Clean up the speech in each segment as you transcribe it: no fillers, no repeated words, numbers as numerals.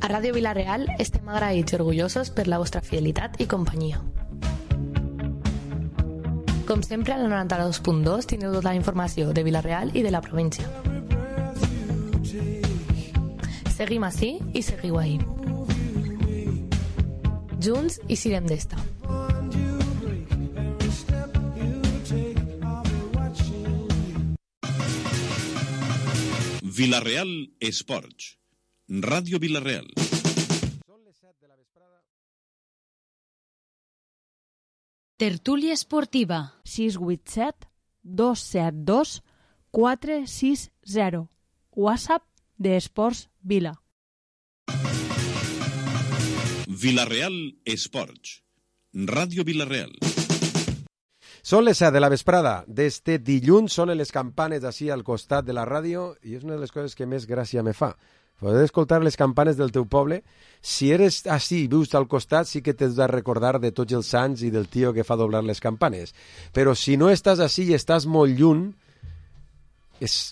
A Ràdio Vila-real estem agraïts i orgullosos per la vostra fidelitat i companyia. Com sempre, al 92.2 tindreu tota la informació de Vila-real i de la província. Seguim ací i seguiu ahí. Junts i sirem d'esta. Vila-real Esports. Ràdio Vila-real. Són les 7 de la vesprada. Tertúlia esportiva. 687 272 460. WhatsApp de Esports Vila. Vila-real Esports. Ràdio Vila-real. Són les 7 de la vesprada d'este dilluns, sonen les campanes així al costat de la ràdio i és una de les coses que més gràcia me fa. Poder escoltar les campanes del teu poble. Si eres així i vius al costat, sí que t'has de recordar de tots els sants i del tio que fa doblar les campanes. Però si no estàs així i estàs molt lluny,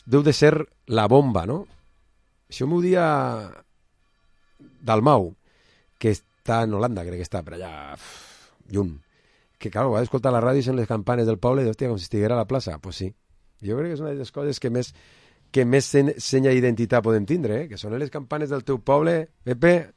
deu de ser la bomba, no? Això m'ho dia Dalmau, que està en Holanda, crec que està per allà lluny. Que, clar, va escoltar la ràdio i són les campanes del poble i, hòstia, com si estiguera a la plaça. Pues sí. Jo crec que és una de les coses que més senya identitat podem tindre, que són les campanes del teu poble. Pepe,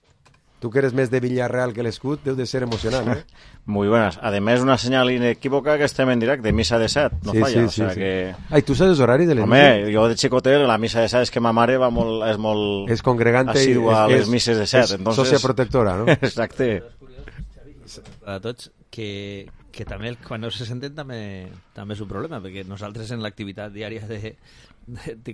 tu que eres més de Villarreal que l'escut, deu de ser emocionant, ¿eh? Muy buenas. Además, una señal inequívoca que estem en directe, misa de 7, no falla. Sí, o sea sí. que... Ai, tu saps els horaris de les Home, jo de xicotet, la misa de 7 és que ma mare és molt és congregante assidua a les mises de 7. És sòcia protectora, no? Exacte. A tots que també quan no se senten també és un problema, perquè nosaltres en l'activitat diària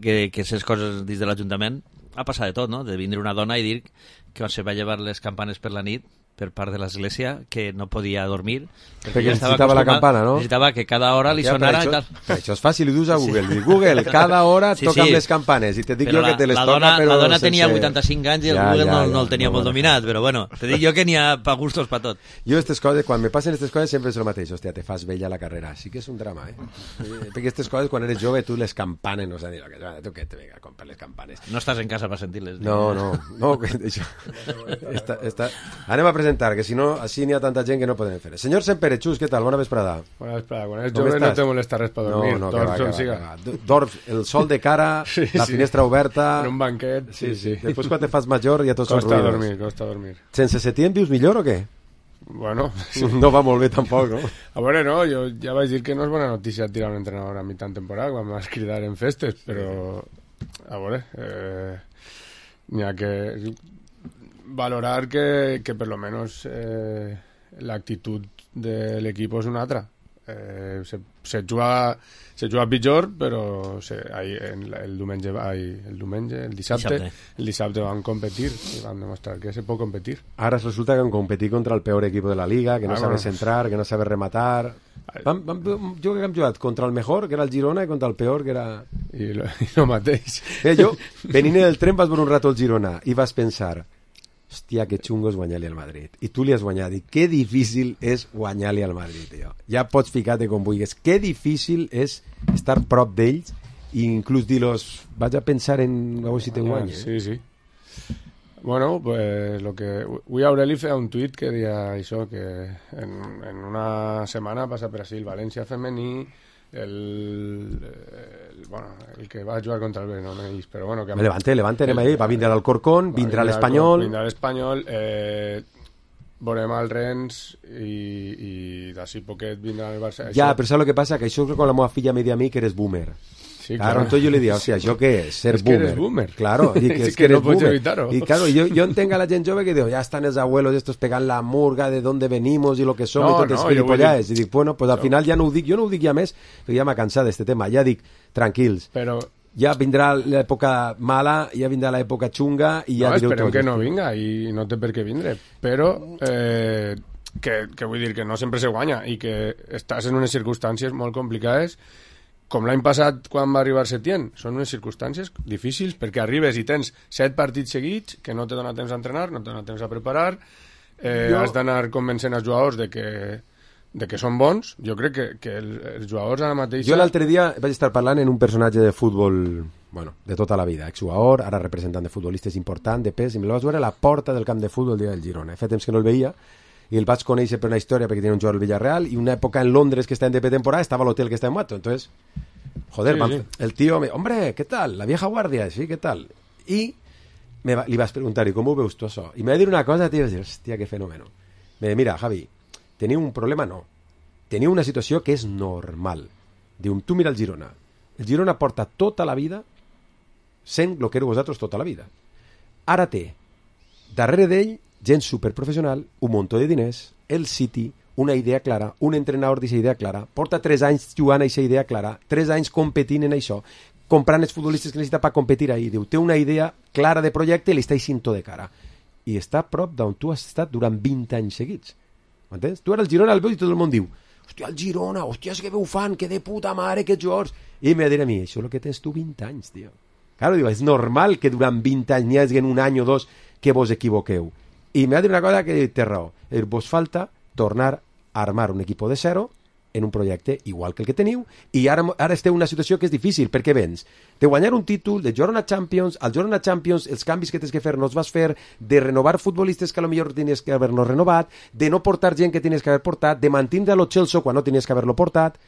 que ses coses dins de l'Ajuntament ha passat de tot, no? De vindre una dona i dir que quan se va llevar les campanes per la nit per part de l'església, que no podia dormir perquè necessitava la campana, no? Necessitava que cada hora li sonara i tal. Per això és fàcil, ho dius a Google. Sí. Google, cada hora toquen les campanes i te dic jo que te les toca, però... La dona tenia 85 anys i el Google no el tenia molt dominat, però bueno, te dic jo que n'hi ha pa gustos pa tot. Jo aquestes coses, quan me passen aquestes coses sempre és el mateix. Hòstia, te fas vella la carrera. Sí que és un drama, perquè aquestes coses, quan eres jove, tu les campanes, no sé dir, tu què te vinga a comprar les campanes. No estàs en casa per sentir-les. No, això... Anem a presentar, que si no, així n'hi ha tanta gent que no podem fer. Senyor Semperechus, què tal? Bona vesprada. Bona vesprada. Quan eres jove no te molesta res per dormir. No, que va. Dorms, el sol de cara, la finestra oberta... En un banquet, sí. Després quan te fas major ja tots són ruïnes. Costa dormir. Sense Setién vius millor o què? Bueno... Sí. No va molt bé tampoc, no? A veure, no, jo ja vaig dir que no és bona notícia tirar un entrenador a mitjan temporada quan vas cridar en festes, però... A veure... N'hi ha que... valorar que per lo menos l'actitud de l'equip és una altra. Se juga pitjor, però el dissabte van competir i van demostrar que se pot competir. Ara resulta que han competit contra el peor equip de la Liga, que no sabe centrar, que no sabe rematar. Jo que hem jugat contra el mejor, que era el Girona, i contra el peor, que era... I lo mateix. Jo, venint del tren, vas veure un rato el Girona i vas pensar... Hòstia, que xungo és guanyar-li al Madrid. I tu li has guanyat. I que difícil és guanyar-li al Madrid, tio. Ja pots ficar-te com vulguis. Que difícil és estar prop d'ells i inclús dir-los, vaig a pensar en a veure si te guanya. Sí. Bueno, pues lo que... Avui Aureli feia un tuit que deia això, que en una setmana passa Brasil, València femení, el que va jugar contra el Belenenses, però bueno... Que Levante, anem ahí, va vindre l'Alcorcón, vindrà l'Espanyol... Vindrà l'Espanyol, veurem el Rennes i d'ací poquet vindrà el Barça... Ja, però saps el que passa? Que això és quan la meva filla me diu a mi que eres boomer. Sí, claro. Entonces yo le digo, o sea, ¿yo qué es? Ser es que boomer. Eres boomer. Claro, y que es que eres no puedes boomer. evitarlo. Y claro, yo entengo a la gente joven que digo, ya están los abuelos estos pegando la murga de dónde venimos y lo que somos y totes gilipollades. I dic, bueno, pues al final ja no ho dic, jo no ho dic ja més, perquè ja m'ha cansat d'este tema. Ja dic, tranquils. Però... Ja vindrà l'època mala, ja vindrà l'època xunga i ja direu tot. Esperem que no vinga i no té per què vindre. Però... que vull dir que no sempre se guanya i que estàs en unes circumstàncies molt complicades com l'any passat quan va arribar Setién. Són unes circumstàncies difícils perquè arribes i tens 7 partits seguits que no te dona temps a entrenar, no te dona temps a preparar, has d'anar convencent els jugadors de que són bons. Jo crec que els jugadors ara mateix... Jo l'altre dia vaig estar parlant en un personatge de futbol bueno, de tota la vida, exjugador, ara representant de futbolistes important, de pes, i me lo vaig veure a la porta del camp de futbol el dia del Girona. Fa temps que no el veia, i el vaig conèixer per una història perquè tenia un jugador al Villarreal, i una època en Londres que estava en pretemporada estava a l'hotel que estava en Mato, entonces, joder, el tío, hombre, ¿qué tal? La vieja guardia, sí, ¿qué tal? I li vas preguntar, ¿y cómo veus tu això? I me va dir una cosa, tío, hòstia, que fenómeno. Me diu, mira, Javi, teniu un problema? No. Teniu una situació que és normal. Diu, tu mira el Girona. El Girona porta tota la vida sent el que éreu vosaltres tota la vida. Ara té, darrere d'ell, gent superprofessional, un muntó de diners, el City, una idea clara, un entrenador d'aquesta idea clara, porta 3 anys jugant a aquesta idea clara, 3 anys competint en això, comprant els futbolistes que necessita per competir ahí. Diu, té una idea clara de projecte i li està eixint tot de cara. I està a prop d'on tu has estat durant 20 anys seguits. M'entens? Tu ara el Girona el veus i tot el món diu, hòstia, el Girona, hòstia, que veu fan, que de puta mare, que jugadors. I em va dir a mi, això és el que tens tu 20 anys, tio. Claro, diu, és normal que durant 20 anys n'hi hagi un any o dos que vos equivoqueu. I m'ha dit una cosa que té raó. Vos falta tornar a armar un equip de zero en un projecte igual que el que teniu, i ara esteu en una situació que és difícil, perquè vens de guanyar un títol, de jugar una Champions, al jugar una Champions els canvis que tens que fer no els vas fer, de renovar futbolistes que a lo millor tenies que haver-los renovat, de no portar gent que tenies que haver portat, de mantindre lo Chelsea quan no tenies que haver-lo portat.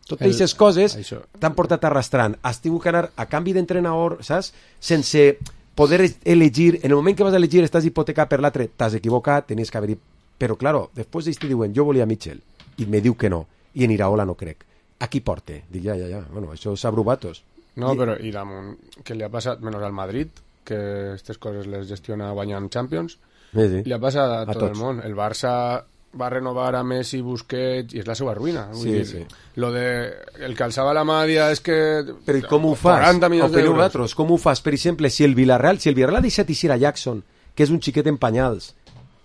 Totes aquestes coses t'han portat arrastrant. Has tingut que anar a canvi d'entrenador, saps? Sense poder elegir. En el moment que vas a elegir estàs hipotecat per l'altre, t'has equivocat, tenies que haver-hi. Però, claro, després d'estar diuen, jo volia Mitchell, i me diu que no. I en Iraola no crec. A qui porte? Dic, ja. Bueno, això és a Brubatos. No, però i damunt, què li ha passat? Menys al Madrid, que aquestes coses les gestiona guanyant Champions. Sí. Li ha passat a tot el món. El Barça va renovar a Messi, Busquets, i és la seva ruïna. Vull dir, lo de el que alçava la mà és que... Però com ho fas? 40 milions d'euros. Com ho fas? Per exemple, si el Villarreal ha deixat eixir a Jackson, que és un xiquet en panyals,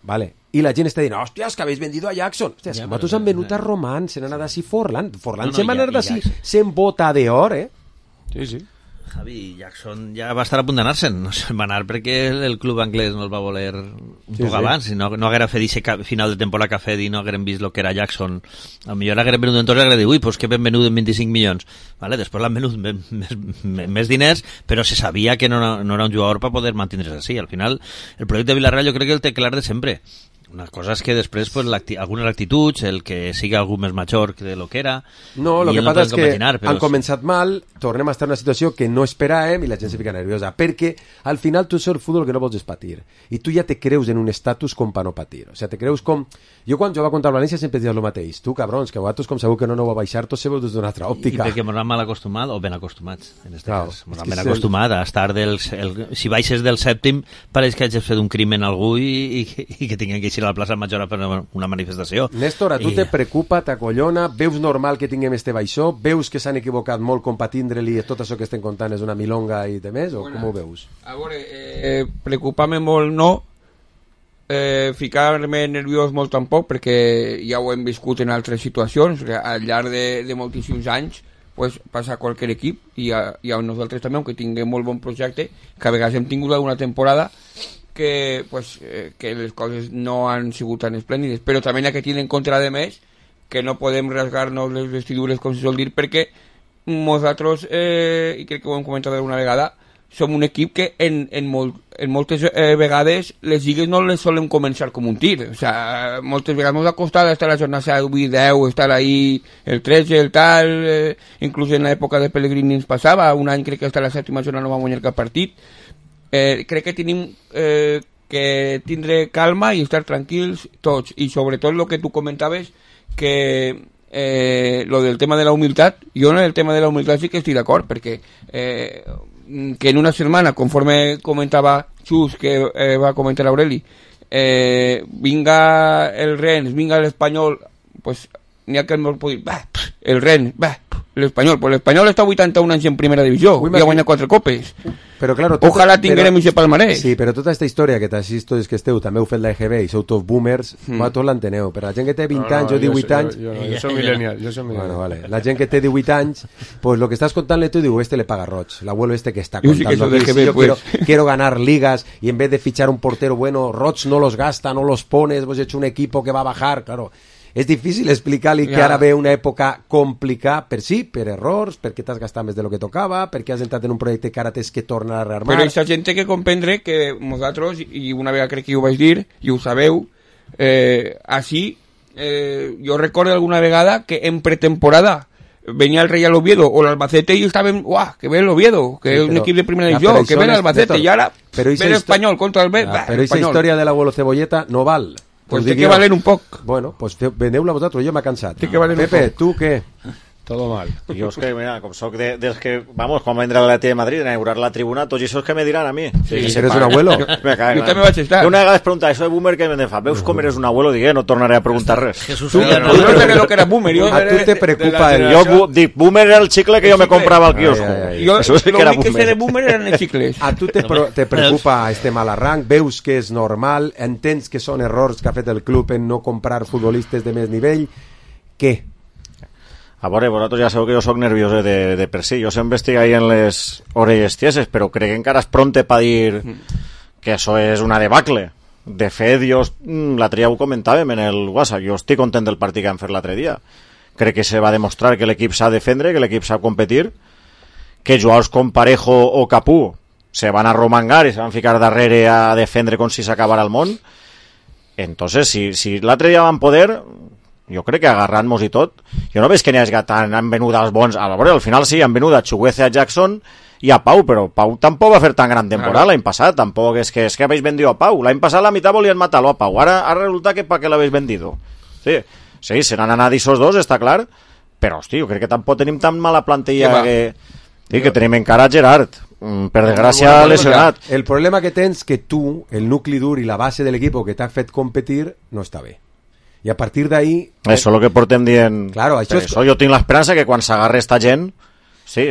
vale, i la gent està dient, hòstia, és que habéis vendido a Jackson. Hòstia, ja, nosaltres han venut a Román, se n'ha anat d'ací Forlán se'n va anar d'ací, se'n bota d'or, Sí. Javi, Jackson ja va estar a punt d'anar-se'n, no se'n va anar perquè el club anglès no el va voler un poc abans, si no haguera fet aquest final de temporada que ha fet i no hagueren vist el que era Jackson, a millor hagueren venut entonces i hagueren dit, ui, pues que ben venut en 25 milions, vale? Després l'han venut més diners, però se sabia que no era un jugador per poder mantindre's així. Al final, el projecte de Villarreal jo crec que el té clar de sempre. Una cosa és que després pues, algunes actituds, el que sigui algú més major que lo que era... No, el que passa és que han començat mal, tornem a estar en una situació que no esperàvem i la gent se fica nerviosa, perquè al final tu ets el futbol que no vols és patir. I tu ja te creus en un estatus com per no patir. O sigui, te creus com... Jo quan jugava contra el València sempre dius el mateix. Tu, cabrons, que vosaltres com segur que no va baixar, tots sabeu des d'una altra òptica. I perquè ens han mal acostumat, o ben acostumats, en aquest cas. Ens han ben acostumat a estar si baixes del sèptim, pareix que hagis fet un crimen a algú i que tinguin que eixir a la plaça Major per una manifestació. Néstor, a tu te preocupa, t'acollona, veus normal que tinguem este baixó, veus que s'han equivocat molt com patindre-li i tot això que estem contant és una milonga i de més, o com ho veus? A veure, preocupar-me molt no, ficar-me nerviós molt tampoc, perquè ja ho hem viscut en altres situacions, al llarg de moltíssims anys pues, passa a qualsevol equip i a nosaltres també, aunque tinguem molt bon projecte, que a vegades hem tingut una temporada que les coses no han sigut tan esplèndides, però també hi ha que tenir en contra de més que no podem rasgar-nos les vestidures, com se sol dir, perquè nosaltres, i crec que ho hem comentat alguna vegada, som un equip que en moltes vegades les lligues no les solen començar com un tir, o sea, moltes vegades ens ha costat estar a la jornada 8-10, estar ahí el 13, el tal, inclús en l'època de Pellegrini ens passava, un any crec que hasta la 7ª jornada no va guanyar cap partit. Crec que tenim que tindre calma i estar tranquils tots, i sobretot el que tu comentaves, que lo del tema de la humilitat, jo en el tema de la humilitat sí que estic d'acord, perquè que en una setmana, conforme comentava Xus, que va comentar Aureli, vinga el Rennes, vinga l'Espanyol, pues n'hi ha que el pot dir, el Rennes, l'Espanyol, pues l'Espanyol està 81 anys en primera divisió i ha guanyat 4 copes. Però, claro, ojalà tinguem aquest palmarès. Sí, però tota aquesta història que t'assisto que esteu, també heu fet la EGB i sou tots boomers, tots l'enteneu, però la gent que té 20 anys o 18 anys... Jo soc millennial, Bueno, vale. La gent que té 18 anys, pues lo que estàs contant-le tu, diu, le paga roig, l'abuelo que està contando aquí, si yo quiero ganar ligas y en vez de fichar un portero bueno, roig no los gasta, no los pones, vos he hecho un equipo que va a bajar, claro. és difícil explicar-li que ara ve una època complicada per errors, perquè t'has gastat més de lo que tocava, perquè has entrat en un projecte que ara tens que tornar a rearmar. Però aquesta gent té que comprendre que nosaltres, i una vegada crec que ho vaig dir, i ho sabeu, així, jo recordo alguna vegada que en pretemporada venía el Real Oviedo o el Albacete y estaban, ¡guau! Que ve el Oviedo, que es un equipo de primera división, que ve el Albacete, y ahora ve el Español contra el Pero esa historia de l'abuelo Cebolleta no val. Pues té que valer un poc. Bueno, pues veneu-la vosaltres, jo m'he cansat. Té que valer un Pepe, poc. tu què? Todo mal. Jo és que, mira, com soc dels que, vamos, quan va vindre l'Atleti de Madrid a inaugurar la tribuna, tots això és que me diran a mi. Sí, si eres un abuelo. Me cago, Jo també vaig estar. Una vegada es pregunta, això de boomer que me fa, veus com eres un abuelo? Dic, no tornaré a preguntar res. Jesús Jo no sé lo que era boomer. A tu te preocupa el... Jo dic, boomer era el xicle que jo me comprava al quiosco. Jo Eso sí que era l'únic que sé de boomer. boomer eren els xicles. A tu te preocupa este mal arranc, veus que és normal, entens que són errors que ha fet el club en no comprar futbolistes de més nivell, què? A veure, vosaltres ja sabeu que jo sóc nerviós de per si. Jo sempre estic ahí en les orelles tieses, però crec que encara és pronte per dir que això és una debacle. De fet, jo l'altre dia ho comentàvem en el WhatsApp, jo estic content del partit que han fet l'altre dia. Crec que se va demostrar que l'equip s'ha de defendre, que l'equip sap competir, que jugadors com Parejo o Capú se van arromangar i se van ficar darrere a defendre com si s'acabara el món. Entonces, si l'altre dia van poder... Jo crec que agarrant-nos i tot, jo no veig que n'hi hagi tant, han venut als bons, a veure, al final sí, han venut a Chuguece, a Jackson i a Pau, però Pau tampoc va fer tan gran temporada l'any passat, tampoc és que habéis vendido a Pau, l'any passat la mitad volien matar-lo a Pau, ara resulta que pa què l'habéis vendido. Sí, se n'han anat esos dos, està clar, però hosti, jo crec que tampoc tenim tan mala plantilla que tenim encara a Gerard, per desgràcia lesionat. El problema que tens que tu, el nucli dur i la base de l'equip que t'ha fet competir, no està bé. I a partir d'ahí... Això és el que portem dient... Claro, això jo tinc l'esperança que quan s'agarre esta gent... Sí,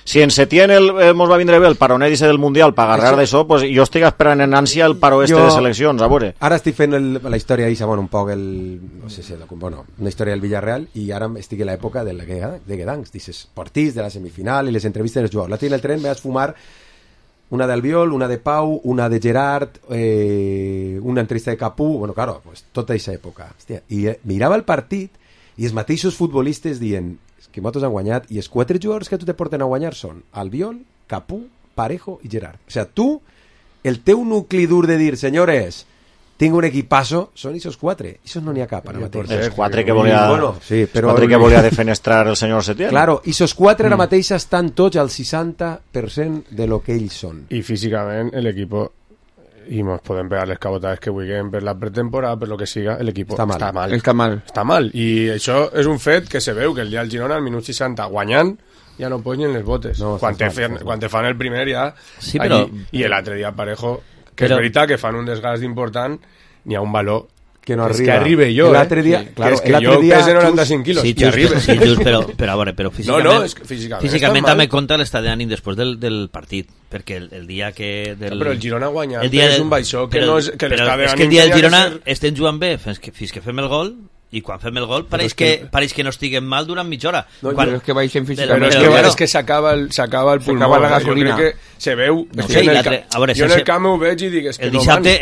si en Setién mos va vindre bé el paronet del Mundial per agarrar d'això, pues jo estic esperant en ànsia el paro de seleccions, a veure. Ara estic fent la història d'Issa, un poc no sé si una història del Villarreal, i ara estic en l'època de Guedancs, dices, partits de la semifinal i les entrevistes dels jugadors. L'altre dia en el tren me vas fumar una d'Albiol, una de Pau, una de Gerard, una entrevista de Capú, bueno, claro, pues tota aquesta època. Hòstia, i mirava el partit i els mateixos futbolistes dient que nosaltres han guanyat, i els 4 jugadors que tu te porten a guanyar són Albiol, Capú, Parejo i Gerard. O sea, tu, el teu nucli dur de dir, senyores, tinc un equipazo, són esos 4. Esos no n'hi ha cap ara mateix. Els 4 que volia, sí, però... 4 que volia defenestrar el senyor Setién. Claro, esos 4 ara mateix estan tots al 60% de lo que ells són. I físicament l'equip, i ens podem pegar les cabotades que vulguem per la pretemporada, per lo que siga, l'equip està mal. I això és un fet que se veu, que el dia del Girona, al minut 60, guanyant, ja no pots ni en les botes. No, quan te fan el primer ja... Sí, però... I l'altre dia Parejo, que és veritat que fan un desgast important, n'hi ha un valor que no arriba. És que arribe jo, l'altre dia, claro, és que jo pese 95 quilos, sí, i arribe. Sí, just, però a veure, físicament... No, és que físicament també compta l'estat d'ànim després del partit, perquè el dia que... Però el Girona guanya, és un baixó, que no és que l'estat d'ànim... És que el dia del Girona estem jugant bé fins que fem el gol, i quan fem el gol pareix que no estiguem mal durant mitja hora. Però és que baixem físicament. Però és que s'acaba el pulmó, la gasolina. Jo crec que se veu... Jo en el camp ho veig i dic... El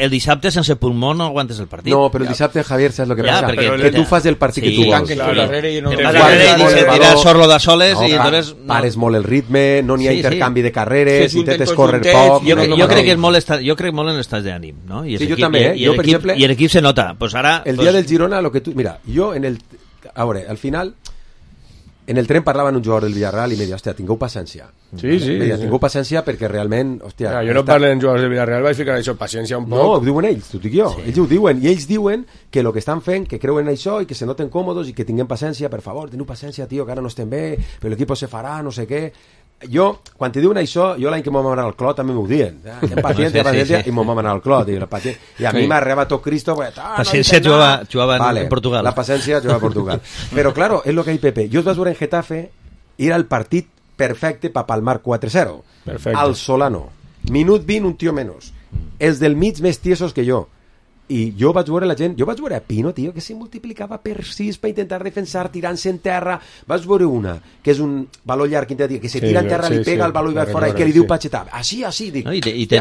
dissabte sense pulmó no aguantes el partit. No, però el dissabte, Javier, saps el que passa? Que tu fas el partit que tu vols. Tirar sorlo de soles i entonces... Pares molt el ritme, no n'hi ha intercanvi de carreres, intentes córrer poc... Jo crec que molt en l'estat d'ànim, no? Sí, jo també, jo per exemple... I l'equip se nota. El dia del Girona, lo que tu... Mira, jo en el... A veure, al final en el tren parlava amb un jugador del Villarreal i me deia, hòstia, tingueu paciència. Sí. Tingueu paciència perquè realment, hòstia... Jo no parlo amb jugadors del Villarreal, vaig ficar això, paciència un poc. No, ho diuen ells, t'ho dic jo. Sí. Ells ho diuen, i ells diuen que el que estan fent, que creuen en això i que se noten còmodes i que tinguem paciència, per favor, teniu paciència, tio, que ara no estem bé, però l'equip se farà, no sé què... Jo, quan te diuen això, jo l'any que m'ho vam anar al Clot també m'ho diuen. Paciència, i m'ho vam anar al Clot. I a mi m'arriba tot Cristo... Paciència jugava en Portugal. La paciència jugava a Portugal. Però, claro, és lo que hay Pepe. Jo es vas veure en Getafe, era el partit perfecte per palmar 4-0. Al Solano. Minut 20, un tio menos. Els del mig més tiesos que jo. I jo vaig veure la gent, jo vaig veure a Pino, tio, que se multiplicava per 6 per intentar defensar, tirant-se en terra. Vaig veure una, que és un valor llarg, que se tira en terra, li pega el valor i va fora, i que li diu Pachetà, així, dic,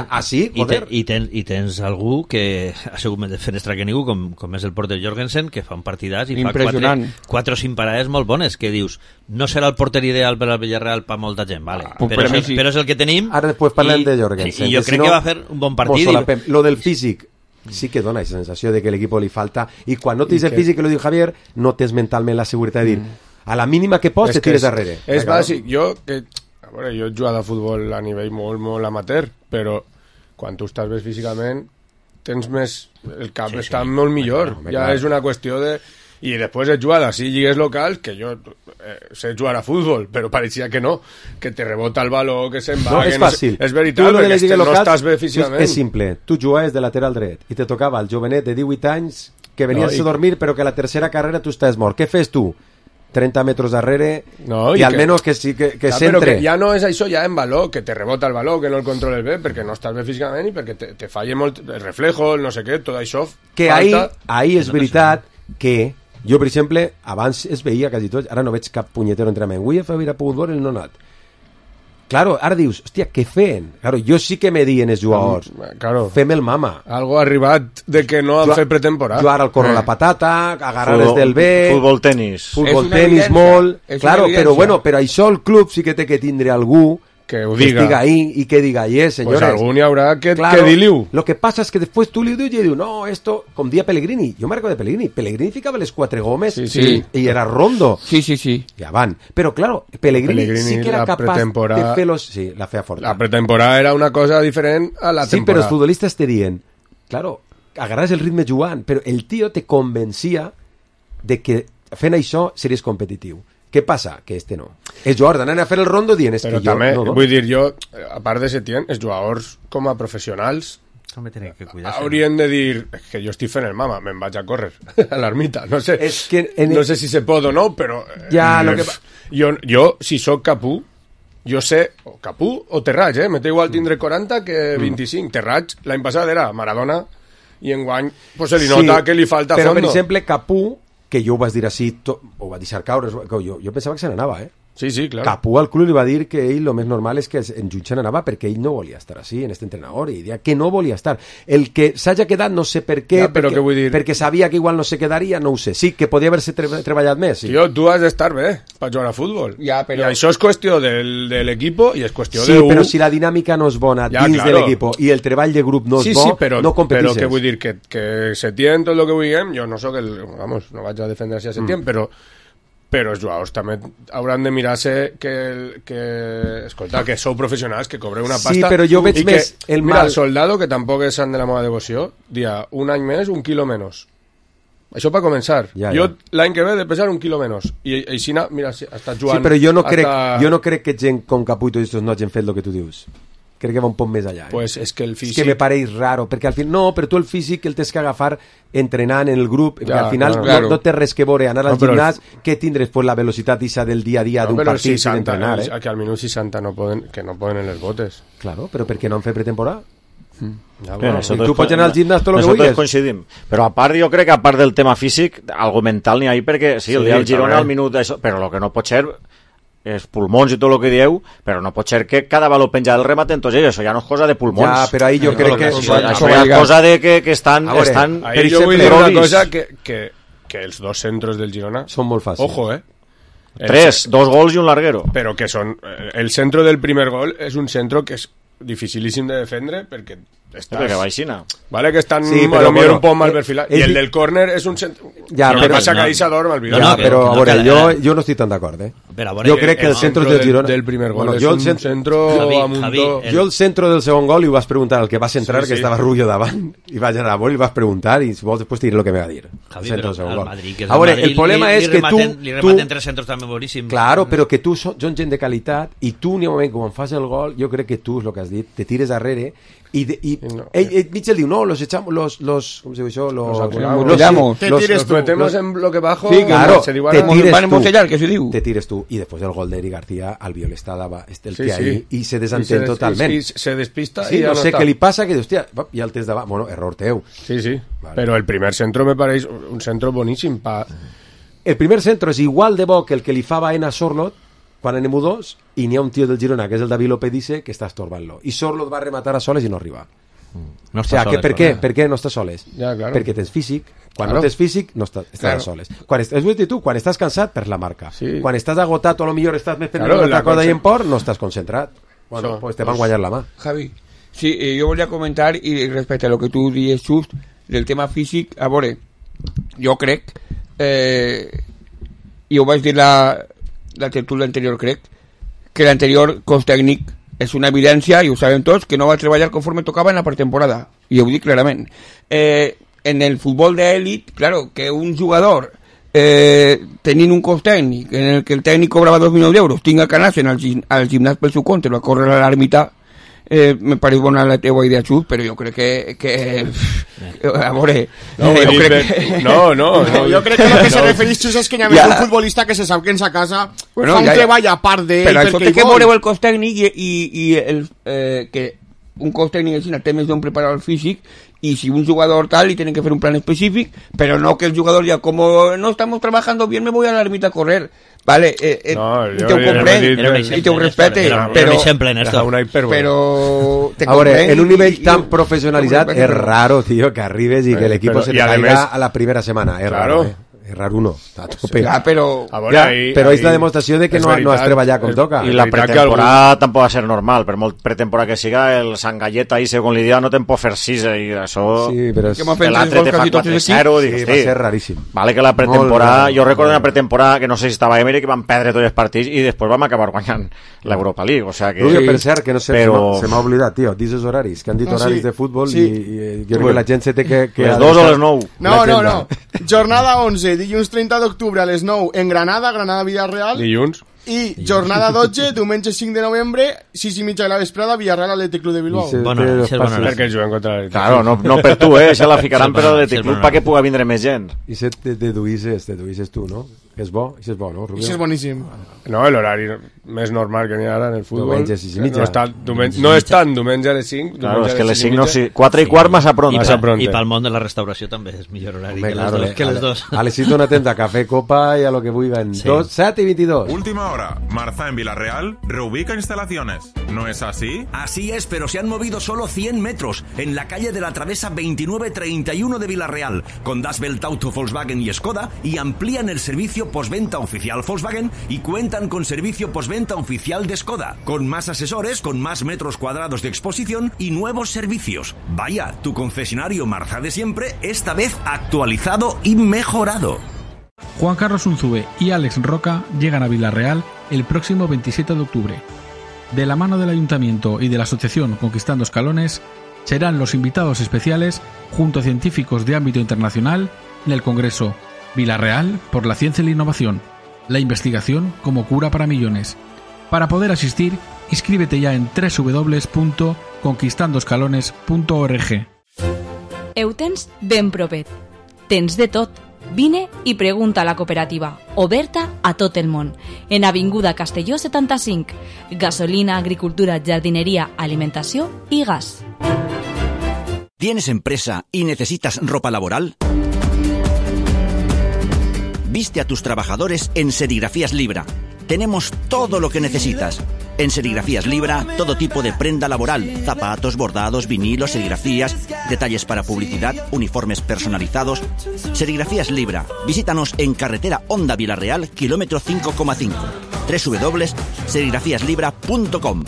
així, joder. I tens algú que ha sigut més fenestra que ningú, com és el porter Jorgensen, que fa un partidàs i fa 4 o 5 parades molt bones, que dius, no serà el porter ideal per al Villarreal per molta gent, vale. Però és el que tenim. Ara després parlem de Jorgensen. I jo crec que va fer un bon partit. Lo del físic, sí que dona aquesta sensació de que l'equip li falta, i quan no tens el físic, que lo diu Javier, no tens mentalment la seguretat de dir a la mínima que pots te tires darrere. És bàsic. Jo he jugat a futbol a nivell molt, molt amateur, però quan tu estàs bé físicament tens més, el cap està molt millor, ja és una qüestió de... I després he jugat a 6 lligues locals, que jo sé jugar a futbol, però pareixia que no, que te rebota el valor, que se'n va... No, és fàcil. És veritat, perquè no estàs bé físicament. És simple. Tu jugaves de lateral dret i te tocava el jovenet de 18 anys que venies a dormir, però que a la tercera carrera tu estàs mort. Què fes tu? 30 metres darrere i almenys que centre. Però que ja no és això, ja en valor, que te rebota el valor, que no el controles bé, perquè no estàs bé físicament i perquè te falla molt el reflejo, el no sé què, tot això que falta. Ahí és veritat que jo, per exemple, abans es veia quasi tot, ara no veig cap punyetero entrenament. Avui he fet a futbol, el no anat. Claro, ara dius, hòstia, què feien? Claro, jo sí que me dien els jugadors. Claro. Fem el mama. Algo ha arribat de que no han fet pretemporada. Jugar al corro la patata, agarrar-les del bé... Futbol tenis. Futbol tenis molt... Claro, però bueno, però això el club sí que té que tindre algú que ho diga. Que estiga ahí y que diga, señores. Pues algún habrá que dir-li-ho. Lo que pasa es que después tú le dius y dius, no, esto, com dia Pellegrini. Jo me recordo de Pellegrini. Pellegrini ficava les 4 gomes y era rondo. Sí. Ya van. Pero claro, Pellegrini sí que era capaz de fer los... Sí, la fea forta. La pretemporada era una cosa diferent a la temporada. Sí, pero els futbolistes te dien, claro, agarras el ritme jugant, però el tio te convencia de que fent això series competitiu. Què passa? Que este no. Els jugadors d'anar a fer el rondo dient però que també, jo... No, vull dir, jo, a part de Setién, els jugadors com a professionals haurien de dir que jo estic fent el mama, me'n vaig a córrer a l'ermita. No sé, no sé si se pot o no, però jo, si sóc Capú, jo sé, o Capú o Terrats, me té igual tindre 40 que 25. Terrats, l'any passat era Maradona, i enguany pues, se li nota que li falta però, fondo. Per exemple, Capú, que jo ho vas dir així, ho va deixar caure, jo pensava que se n'anava, Sí, clar. Capú al club li va dir que ell lo més normal és que en Jutge n'anava perquè ell no volia estar així, en este entrenador, i deia que no volia estar. El que s'hagi quedat no sé per què, perquè sabia que igual no se quedaria, no ho sé. Sí, que podia haver-se treballat més. Sí. Tio, tu has d'estar bé per jugar a futbol. Ja, però... I això és qüestió de l'equip i és qüestió sí, però si la dinàmica no és bona dins de l'equip i el treball de grup no és bo, no competisses. Però que vull dir que Setién, tot el que vulguem, jo no soc vamos, no vaig a defendre-se a Setién, però els jugadors també hauran de mirar-se escolta, que sou professionals, que cobreu una pasta. Sí, però jo veig més el mal. Mira, el soldado, que tampoc és sant de la meva devoció, dia un any més, 1 quilo menys. Això per començar. Jo l'any que ve he de pesar 1 quilo menys. I així, mira, està jugant... Sí, però jo no crec que gent com Capú i tots estos no hagin fet el que tu dius. Crec que va un poc més allà. Pues és que el físic... És que me pareix raro, perquè al final... No, però tu el físic el tens que agafar entrenant en el grup, perquè al final no té res que veure anar al gimnàs, que tindres pues, la velocitat isa del dia a dia d'un partit i d'entrenar. Que al minut 60 no poden en les botes. Claro, però per què no han fet pretemporada? I tu pots anar al gimnàs tot el que vulguis. Coincidim. Però a part, jo crec que a part del tema físic, algo mental n'hi ha, perquè sí, el dia del Girona al minut, però el que no pot ser els pulmons i tot el que dieu, però no pot ser que cada valor penja del remat, entonces això ja no és cosa de pulmons. Ja, però ahí jo crec que... Això és cosa de que estan... Ahí jo vull dir una cosa, que els dos centros del Girona... Són molt fàcils. Ojo, 2 gols i un larguero. Però que són... El centro del primer gol és un centro que és dificilíssim de defendre perquè perquè baixina. Vale, que estan un poc mal perfilat. I el del córner és un centre... Ja, però passa que ahí s'adorm el Vidal. Ja, però a veure, jo no estic tan d'acord, Jo crec que el centre del Girona... del primer gol és un centro amuntó... Jo el centre del segon gol li vas preguntar al que va centrar, que estava Rubio davant, i vaig anar a la bola i li vas preguntar, i si vols després te diré el que me va dir. Javi, però al Madrid, a veure, el problema és que tu... Li rematen 3 centros també boníssims. Claro, però que tu són gent de qualitat, i tu, ni un moment, quan fas el gol, jo crec que tu, és el que has dit, te tires darrere, Mitchell diu, no, los echamos, ¿cómo se dice eso? Los metemos en bloque bajo. Sí, claro, se te tires tú. Y después del gol de Eric García, Albiol estaba el pie ahí y se desentén totalmente. Y se despista sí, y ya no sé está. qué le pasa, que hostia, y el test davant, bueno, error teu. Sí, vale. Pero el primer centro me parece un centro boníssim. El primer centro és igual de bo que el que li fa Baena a Sorloth quan anem 2 i n'hi ha un tio del Girona, que és el David Lopedice, que està estorbant-lo. I Sorloth va rematar a soles i no arriba. No està soles. Per què no està soles? Ja, claro. Perquè tens físic. Quan no tens físic, no estàs soles. És dir tu, quan estàs cansat, per la marca. Sí. Quan estàs agotat o a lo millor estàs més pendent d'altra cosa i en port, no estàs concentrat. Bueno, pues te van guanyar la mà. Javi, sí, yo volia comentar, y respecto a lo que tú dices, Just, del tema físic, a veure, jo crec, i ho vaig dir la tertúlia anterior, crec, que l'anterior cos tècnic és una evidència, i ho sabem tots, que no va treballar conforme tocava en la pretemporada, i ho dic clarament. En el futbol d'èlit, claro, que un jugador tenint un cos tècnic en el que el tècnic cobrava 2 milions d'euros tinga que anar-se'n al gimnàs pel seu compte, va córrer a l'ermita, me pareix bona la teua idea, Xut, però jo crec que a veure, jo crec que el que se refereix, Xut, és que hi ha un futbolista que se sap que en sa casa fa un treball a part d'ell, però això té que veure el cos tècnic i que un cos tècnic així té més d'un preparador físic, y si un jugador tal y tienen que hacer un plan específico, pero no que el jugador ya como no estamos trabajando bien me voy a la ermita a correr, vale, te ho comprèn i te ho respecte, però en un nivell tan professionalitzat és raro, tío, que arribes i que l'equip se te caiga a la primera setmana, és raro, errar uno a tope. Però és la demostració de que no has treballat com toca. I la pretemporada tampoc va ser normal, per molt pretemporada que siga, el Sant Galleta i segons l'idea no te'n pot fer 6 i això l'altre te fa 4-0, va ser raríssim. Vale que la pretemporada, jo recordo una pretemporada que no sé si estava Emery, que van perdre tots els partits i després vam acabar guanyant l'Europa League, o sea que... Per cert, que no sé, se m'ha oblidat, tio, dices horaris, que han dit horaris de futbol i jo crec que la gent se té que... Les 2 o les 9? No, jornada 11, dilluns 30 d'octubre a les 9 en Granada Villarreal. Dilluns. I jornada 12, diumenge 5 de novembre, 6:30 de la vesprada, Villarreal Atlètic Club de Bilbao. Perquè juguen contra l'Atlètic. Claro, no per tu, se la ficaran per l'Atlètic Club perquè puga vindre més gent. I se deduïsses tu, no? És bo, això és bo, no, Rubio? Això és boníssim. No, l'horari més normal que n'hi ha ara en el futbol. Diumenge 6:30. No és tant diumenge a les 5. Claro, és que les 5 no... 4:15 massa pront. I pel món de la restauració també és millor horari que les 2. A les 6 una tenda, cafè, copa y a lo que vulguin. 7:22. Última hora. Marza en Villarreal reubica instalaciones. ¿No es así? Así es, pero se han movido solo 100 metros en la calle de la Travesa 2931 de Villarreal, con Das Welt Auto, Volkswagen y Skoda, y amplían el servicio postventa oficial Volkswagen y cuentan con servicio postventa oficial de Skoda, con más asesores, con más metros cuadrados de exposición y nuevos servicios. Vaya, tu concesionario Marza de siempre, esta vez actualizado y mejorado. Juan Carlos Unzube y Alex Roca llegan a Villarreal el próximo 27 de octubre. De la mano del Ayuntamiento y de la Asociación Conquistando Escalones, serán los invitados especiales junto a científicos de ámbito internacional en el Congreso Villarreal por la Ciencia y la Innovación, la investigación como cura para millones. Para poder asistir, inscríbete ya en www.conquistandoscalones.org. Ho tens ben propet. Tens de tot. Vine i pregunta a la cooperativa, oberta a tot el món, en Avinguda Castelló 75, gasolina, agricultura, jardinería, alimentació i gas. ¿Tienes empresa y necesitas ropa laboral? Viste a tus trabajadores en Serigrafías Libra. Tenemos todo lo que necesitas. En Serigrafías Libra, todo tipo de prenda laboral, zapatos, bordados, vinilos, serigrafías, detalles para publicidad, uniformes personalizados. Serigrafías Libra. Visítanos en carretera Honda Villarreal, kilómetro 5,5. www.serigrafiaslibra.com.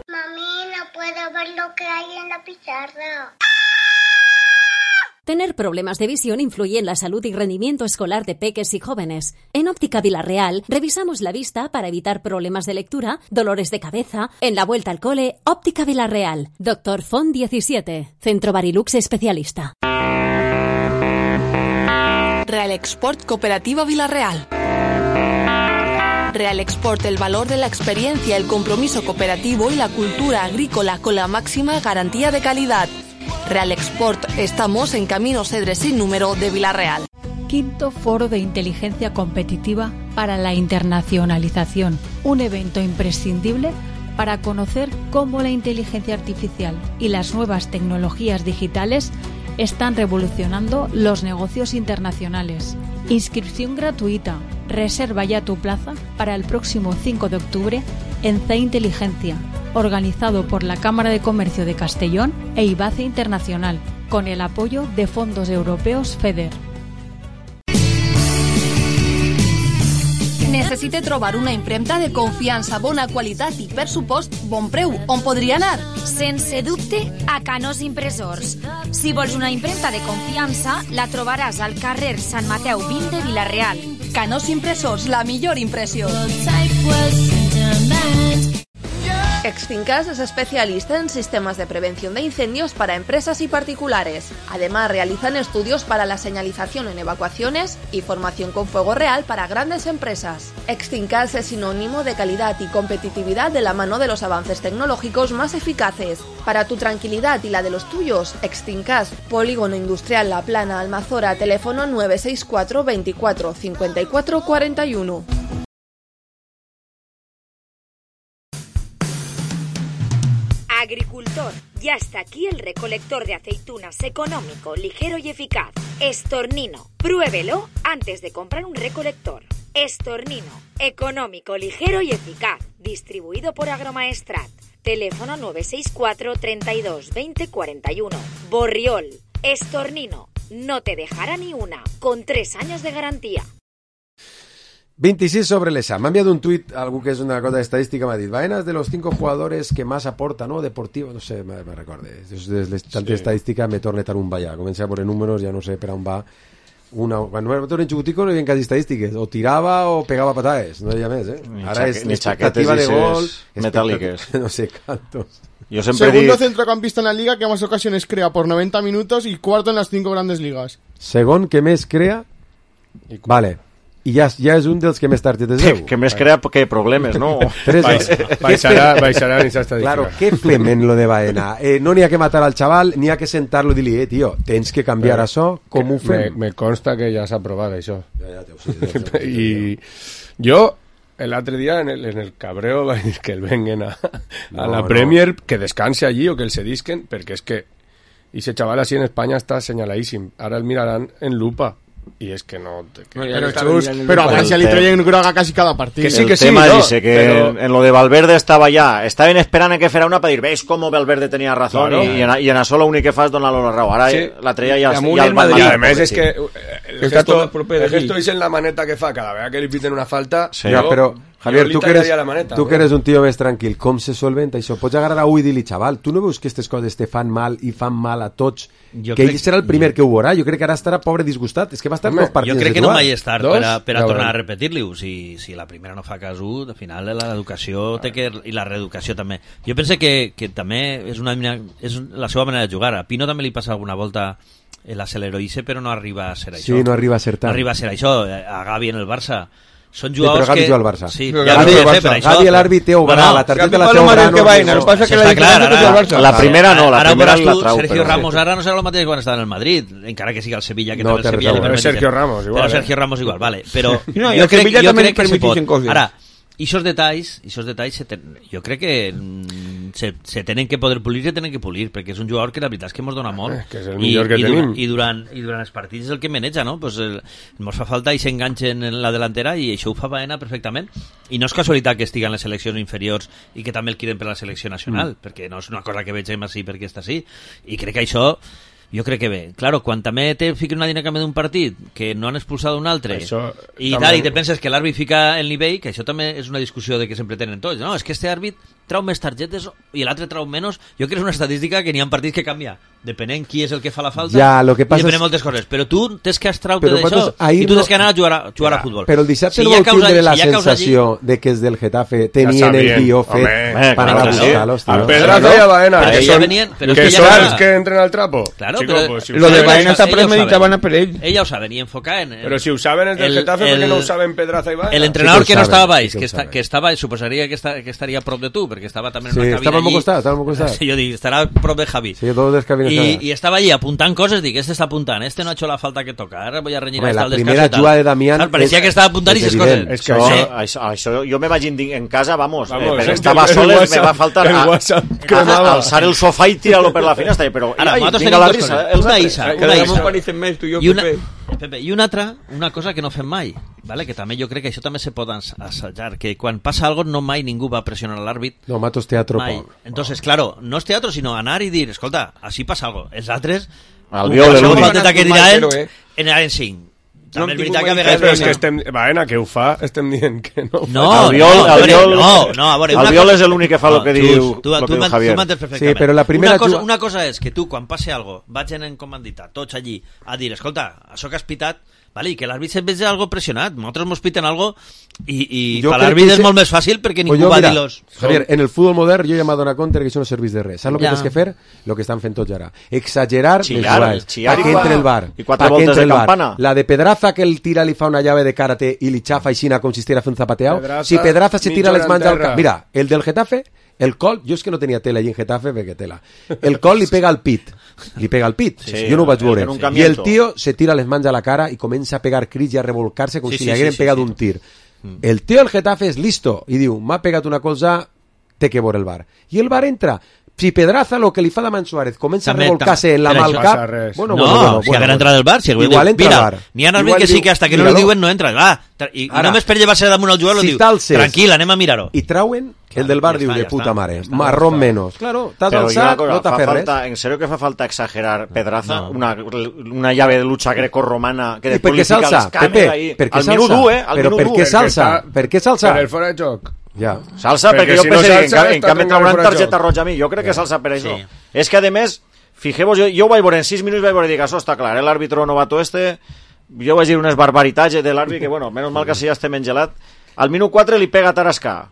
Mami, no puedo ver lo que hay en la pizarra. Tener problemas de visión influye en la salud y rendimiento escolar de peques y jóvenes. En Óptica Villarreal revisamos la vista para evitar problemas de lectura, dolores de cabeza. En la vuelta al cole, Óptica Villarreal. Dr. Font 17, Centro Barilux especialista. Real Export Cooperativa Villarreal. Real Export, el valor de la experiencia, el compromiso cooperativo y la cultura agrícola con la máxima garantía de calidad. Real Export, estamos en Camino Cedres sin número de Vila-real. Quinto Foro de Inteligencia Competitiva para la Internacionalización, un evento imprescindible para conocer cómo la inteligencia artificial y las nuevas tecnologías digitales están revolucionando los negocios internacionales. Inscripción gratuita. Reserva ya tu plaza para el próximo 5 de octubre en CE Inteligencia, organizado por la Cámara de Comercio de Castellón e IBACE Internacional, con el apoyo de fondos europeos FEDER. Necessite trobar una impremta de confiança, bona qualitat i, per supost, bon preu. On podria anar? Sense dubte, a Canós Impressors. Si vols una impremta de confiança, la trobaràs al carrer Sant Mateu 20 de Vila-real. Canós Impressors, la millor impressió. Exfincas es especialista en sistemas de prevención de incendios para empresas y particulares. Además, realizan estudios para la señalización en evacuaciones y formación con fuego real para grandes empresas. Exfincas es sinónimo de calidad y competitividad de la mano de los avances tecnológicos más eficaces. Para tu tranquilidad y la de los tuyos, Exfincas, Polígono Industrial La Plana, Almazora, teléfono 964 24 54 41. Agricultor, ya está aquí el recolector de aceitunas económico, ligero y eficaz. Estornino, pruébelo antes de comprar un recolector. Estornino, económico, ligero y eficaz. Distribuido por Agromaestrat. Teléfono 964 32 20 41. Borriol, Estornino, no te dejará ni una, con 3 años de garantía. 26 sobre l'ESA. M'ha enviat un tuit, algú que és una cosa d'estadística, m'ha dit, Baena és de los 5 jugadores que más aporta, ¿no? Deportivo, no sé, me recorde. Tanta estadística me torna tan un ballar. Comença a poner números, ja no sé per on va. Quan era un xicutico no hi havia quasi estadístiques. O tirava o pegava patades, no hi ha més, eh? Ara és expectativa de gol, metàl·liques. No sé, cantos. Segundo centrocampista en la liga que más ocasiones crea por 90 minutos y cuarto en las 5 grandes ligas. Segon que més crea, vale. I ja és un dels que més targetes veu. Que més crea que problemes, no? Baixarà en esa estadística. Claro, què fem en lo de Baena? No n'hi ha que matar al chaval, n'hi ha que sentar-lo i dir-li, tio, tens que canviar això, com ho fem? Me consta que ja s'ha aprovat això. I jo, l'altre dia, en el cabreo, vaig dir que el venguen a la Premier, que descanse allí o que el cedisquen, perquè és que ese chaval así en España está señaladíssim. Ara el miraran en lupa. Y es que no... Pero a Francia le traen groga casi cada partido. Que sí, el tema dice que en lo de Valverde estaba ya. Estaven esperant que fuera una para dir, veis cómo Valverde tenía razón, claro. y en això l'únic que fa és donar-lo la raó. Ara sí. La treia ja el Madrid. Y además es que el gesto és en la maneta que fa cada vegada que li piten una falta. Sí. Però, Javier, tu que eres un tio més tranquil, com se solventa això? Pots agarrar a ull i dir-li, xaval, tu no veus que aquestes coses te fan mal i fan mal a tots? Que ell serà el primer que ho veurà. Jo crec que ara estarà pobre disgustat. És que va estar dos partits. Jo crec que no mai és tard per a tornar a repetir-li-ho. Si la primera no fa cas al final l'educació i la reeducació també. Jo penso que també és la seva manera de jugar. A Pino també li passa alguna volta l'acceleroïse, però no arriba a ser això. Sí, no arriba a ser tant. No arriba a ser això. A Gavi en el Barça són jugadors que... Però Gavi juga al Barça. Sí, Gavi l'àrbit té obrar, la targeta la té obrar. La primera no, la primera la trau. Sergio Ramos ara no serà el mateix quan estava en el Madrid, encara que sigui el Sevilla, que també el Sevilla li permet. Sergio Ramos igual. Però Sergio Ramos igual, vale. Però jo crec que se pot. Ara, i esos detalls jo crec que se tenen que poder pulir i se tenen que pulir, perquè és un jugador que la veritat és que mos dona molt, que és el millor que tenim, i durant els partits és el que maneja, no? Pues mos fa falta i s'enganxen en la delantera, i això ho fa Baena perfectament, i no és casualitat que estigui en les seleccions inferiors i que també el quieren per la selecció nacional, perquè no és una cosa que vegem així perquè està així, i crec que això jo crec que bé. Claro, quan també te fiquen una dinàmica d'un partit que no han expulsat un altre i te penses que l'àrbit fica el nivell, que això també és una discussió de que sempre tenen tots. No, és que este àrbit trau més targetes i l'altre trau menys, jo crec que és una estadística que n'hi ha partits que canvia, depenent qui és el que fa la falta, lo que passa i depenent moltes coses, però tu tens que abstraure d'això i tu tens que anar a jugar a futbol. Però el dissabte no vol tindre la sensació de que els del Getafe tenien el guió fet per anar a buscar-los. A Pedraza i a Baena, que són els que entren al trapo. Claro, lo de Baena està premeditaven per ell. Ell ja ho saben, i enfocaven. Però si ho saben els del Getafe, per què no ho saben Pedraza i Baena? L'entrenador que no estava baix, que estava, suposaria que estaria a prop de tu, perquè estava també en una cabina allí. Estava al costat. Sí, jo dic, estarà a prop de Javi. Sí, todos les cabines. I estava allí apuntant coses, dic, este està apuntant, este no ha hecho la falta que toca, ara voy a reñir hasta el descanso. La primera jugada de Damián... Parecía que estava apuntant i ses coses. És que això jo me vaig en casa, vamos, estava soles, me va faltar alçar el sofà i tirar-lo per la finestra, però vinga la risa. Una isa. Pepe, i una cosa que no fem mai, ¿vale? Que també jo crec que això també se pot assajar, que quan passa algo no mai ningú va pressionar l'àrbit. No, matos teatro. Mai. Entonces, claro, no és teatro, sinó anar i dir, escolta, així passa algo. Els altres, Albiol, el falteta que diran, anaven 5. També és veritat que a vegades... És que Baena, que ho fa, estem dient que no ho fa. No, Albiol és l'únic que fa el que diu Javier. Tu m'entens perfectament. Sí, però la primera una cosa és que tu, quan passe algo, vagin en comandita, tots allí, a dir, escolta, això que has pitat, vale, i que l'àrbit se'n vegi algo pressionat, nosaltres mos piten algo i per l'àrbit és molt més fàcil perquè ningú va dir-los. Javier, en el futbol modern jo ja m'he donat compte que això no serveix de res. Saps el que tens que fer? El que estan fent tots ara. Exagerar les jugades. Pa que entre el bar. I 4 voltes de campana. La de Pedraza, que el tira li fa una llave de karate i li xafa aixina com si estiguera fent zapateado. Si Pedraza se tira les mans al cap... Mira, el del Getafe... El col, jo és que no tenia tela allí en Getafe perquè tela. El col li pega al pit. Sí, jo no ho vaig veure. I el tio se tira les mans a la cara i comença a pegar crits i a revolcar-se com si li hagueren pegat un tir. El tio del Getafe és listo i diu, m'ha pegat una cosa, té que veure el bar. I el bar entra. Si Pedraza, lo que li fa Damián Suárez, comença a revolcar-se en la mà al cap... No, si haguera entrat al bar, igual entra al bar. N'hi ha àrbit que sí que hasta que no li diuen no entra. I només per llevar-se damunt al jugador diu, tranquil, anem a mirar-ho. I trauen, el del bar diu, de puta mare, marrón menos. Claro, t'has alçat, no t'ha fet res. En serio que fa falta exagerar Pedraza, una llave de lucha grecorromana que després li fica les cames al minut 1, Però per què s'alça? Per què s'alça? Per el fora de joc. Ja. S'alça perquè jo penso que en canvi trauran targeta roja a mi. Jo crec que s'alça per això. És que a més, fijeu-vos, jo ho vaig veure en 6 minuts, vaig veure i dic, això està clar, l'àrbitro novato jo vaig dir unes barbaritats de l'àrbit que, bueno, menys mal que si ja estem engelat. Al minut 4 li pega Tarascà.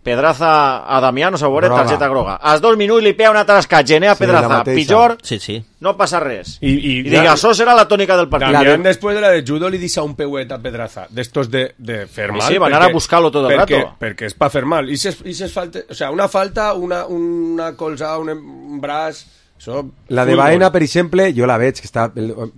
Pedraza a Damián, no s'ho veure, targeta groga. Als 2 minuts li pega una Tarascà, gener a Pedraza, pitjor, no passa res. I dic, això serà la tònica del partit. Damián, després de la de judo, li deixa un peuet a Pedraza, d'estos de fer mal. Sí, van anar a buscar-lo tot el rato. Perquè és pa fer mal. I ses falta, o sea, una falta, una colzada, un braç... La de Baena, per exemple, jo la veig, que està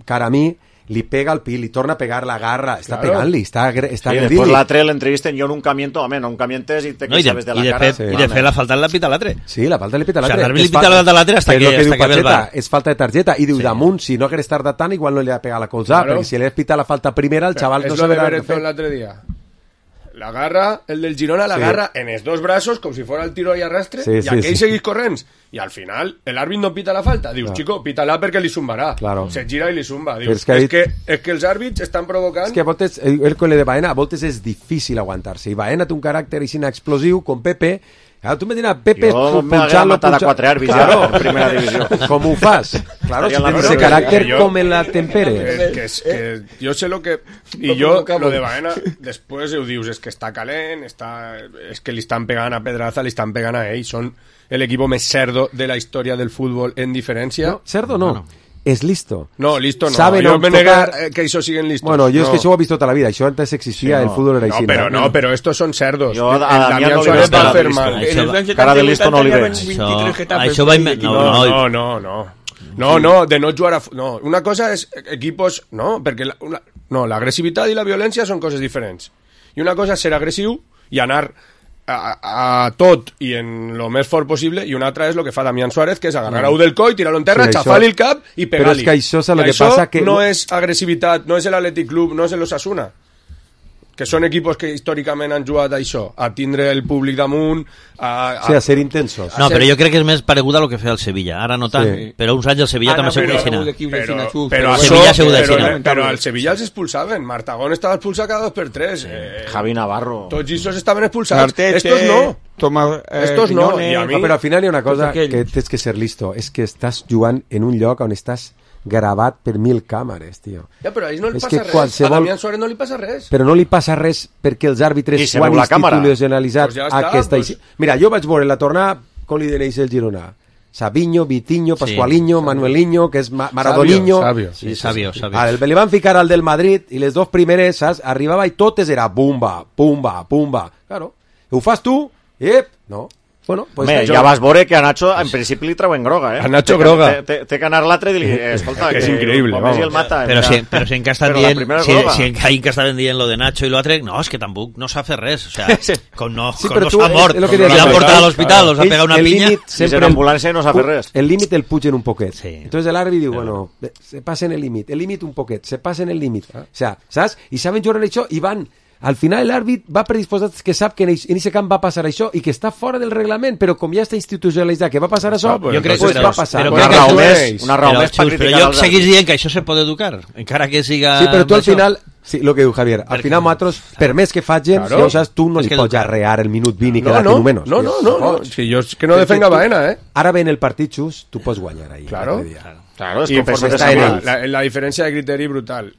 cara a mi, li pega al pit, li torna a pegar la garra, està pegant-li, està agredint-li. Després l'altre l'entrevisten, jo nunca miento, nunca mientes i te que sabes de la cara. I de fet la falta la pita l'altre. Sí, la falta li pita l'altre. O sigui, l'àrbit li pita l'altre hasta que ve el bar. És falta de targeta, i diu, damunt, si no hagués tardat tant, igual no li ha pegat la colzada, perquè si li has pitat la falta primera, el xaval no sabrà què fer. L'altre dia. La garra, el del Girona, la garra en els dos braços, com si fos el tiro i arrastre, i aquell seguís corrents. I al final, l'àrbit no pita la falta. Dius, chico, pita-la perquè li zumbarà. Se gira i li zumba. Dius, és que els àrbits estan provocant... És que a voltes, el col·le de Baena, a voltes és difícil aguantar-se. I Baena té un caràcter així explosiu, com Pepe. Claro, tu me dirás, Pepe, punxant-lo... matar a 4 àrbits en primera divisió. Com ho fas? Claro, si tens ese caràcter, com en la temperes. Que jo sé lo que... I jo, lo de Baena, després ho dius, és que està calent, és que li estan pegant a Pedraza, li estan pegant a ell, són el equipo més cerdo de la història del futbol en diferència. No, cerdo no. És listo. No, listo no. Saben jo me negué que això siguen listos. Bueno, jo és que això ho he vist tota la vida. Això antes existia, el fútbol era així. Però estos són cerdos. Jo a Damián no li veig cara de listo. Cara de listo no li veig. Això va... No, de no jugar a... No, una cosa és equipos... No, perquè l'agressivitat i la violència són coses diferents. I una cosa és ser agressiu i anar a tot i en lo més fort possible, i una altra és el que fa Damián Suárez, que és agarrar-ho del coll, tirar-lo en terra, xafar-li el cap i pegar-li. Però és que això és el que passa que... no és agressivitat, no és l'Athletic Club, no és l'Osasuna. que són equipos que històricament han jugat a això, a tindre el públic damunt, a ser intensos. No, però jo crec que és més paregut a lo que feia el Sevilla. Ara no tant, però uns anys el Sevilla també s'ha d'aixina. Però al Sevilla els expulsaven. Martagón estava expulsat cada 2x3. Javi Navarro. Tots ells estaven expulsats. Estos no. Estos no. Però al final hi ha una cosa que tens que ser listo, és que estàs jugant en un lloc on estàs gravat per 1000 càmeres, tio. Ja, però a ells no li passa res. A Damián Suárez no li passa res. Però no li passa res perquè els àrbitres ho han institucionalitzat aquesta... Mira, jo vaig veure la tornada com li denéis el Girona. Sabiño, Vitinho, Pascualiño, Manueliño, que és Maradoniño. Sabio. Li van ficar al del Madrid i les dos primeres, saps? Arribava i totes era pumba. Claro. Ho fas tu? No. Bueno, pues ja vas veure que a Nacho en principi li treuen groga, A Nacho groga. Té que anar l'altre i dir, escolta, que és increïble. Si el mata, però si encara estan dient lo de Nacho i l'altre, no, és que tampoc no s'ha fet res, o sea, com no s'ha mort, l'han portat a l'hospital, els ha pegat una pinya, i en ambulància no s'ha fet res. El límit el pugen un poquet. Entonces l'àrbitre diu, bueno, se passen el límit un poquet, se passen el límit. O sea, saps? I saben jugar això i van... Al final l'àrbit va predisposat que sap que en aquest camp va passar això i que està fora del reglament, però com ja està institucionalitzat que va passar això, jo crec que va passar. Una raó més per criticar però jo seguís dient que això se pot educar, encara que siga... Sí, però tu al final... Sí, el que diu Javier, al final nosaltres, per més que facin, tu no li pots arrear el minut 20 i quedar-te en menys. No. Si jo és que no defenga Baena, Ara ve en el partit just, tu pots guanyar ahí. Claro. Claro, y la diferència de criteri brutal.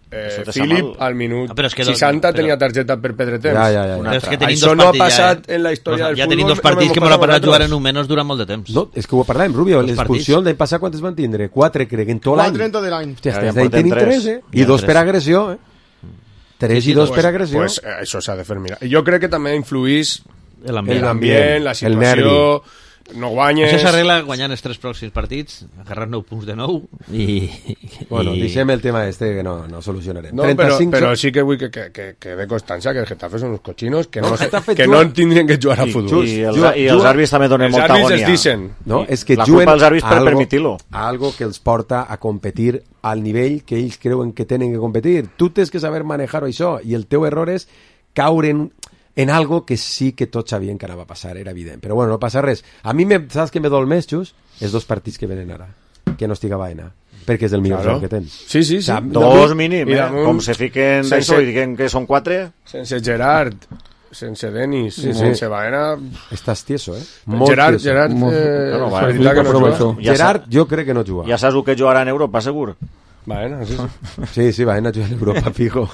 Philip al minut 60 tenia targeta per Pedretem. Això no ha passat en la història del futbol. Ja tenim dos partits que m'ho han passat jugant en un menys durant molt de temps. No, és que ho parlàvem, Rubio, l'expulsió l'any passat quantes van tindre? 4, crec, en tot l'any. 4 en tot l'any. Tenim 3, i 2 per agressió, 3 i 2 per agressió. Pues això s'ha de fer mirar. Jo crec que també influís l'ambient, la situació... No guanyes... Això s'arregla guanyant els 3 pròxims partits, agarrar 9 punts de nou i... Bueno, deixem el tema que no solucionarem. No, però sí que vull que quede constància que el Getafe són uns cochinos que no tindrien que jugar a futbol. I els àrbits també donen molta agònia. Els àrbits es dicen. No, és que la culpa als àrbits per permitir-lo. Algo que els porta a competir al nivell que ells creuen que tenen que competir. Tu tens que saber manejar això i el teu error és caure en algo que sí que tots sabien que anava a passar, era evident. Però bueno, no passa res. A mi, saps que me dol més, Xus? Els 2 partits que venen ara, que no estiga Baena, perquè és el millor joc que tens. Sí. O sea, 2 mínim, com se fiquen d'això i diuen que són 4. Sense Gerard, sense Denis, sense Baena... Estàs tieso, Gerard, Gerard, jo crec que no juga. Ja saps que jugarà en Europa, segur? Baena, sí, Baena juga en Europa, fijo.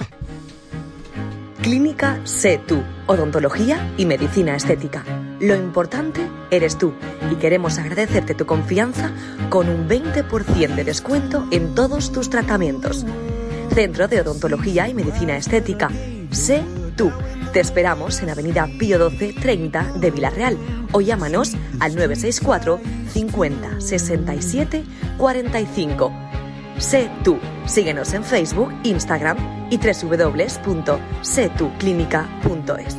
Clínica Sé Tú, odontología y medicina estética. Lo importante eres tú y queremos agradecerte tu confianza con un 20% de descuento en todos tus tratamientos. Centro de Odontología y Medicina Estética. Sé Tú. Te esperamos en Avenida Pío 12 30 de Villarreal o llámanos al 964 50 67 45. Sé Tú. Síguenos en Facebook, Instagram y www.setuclinica.es.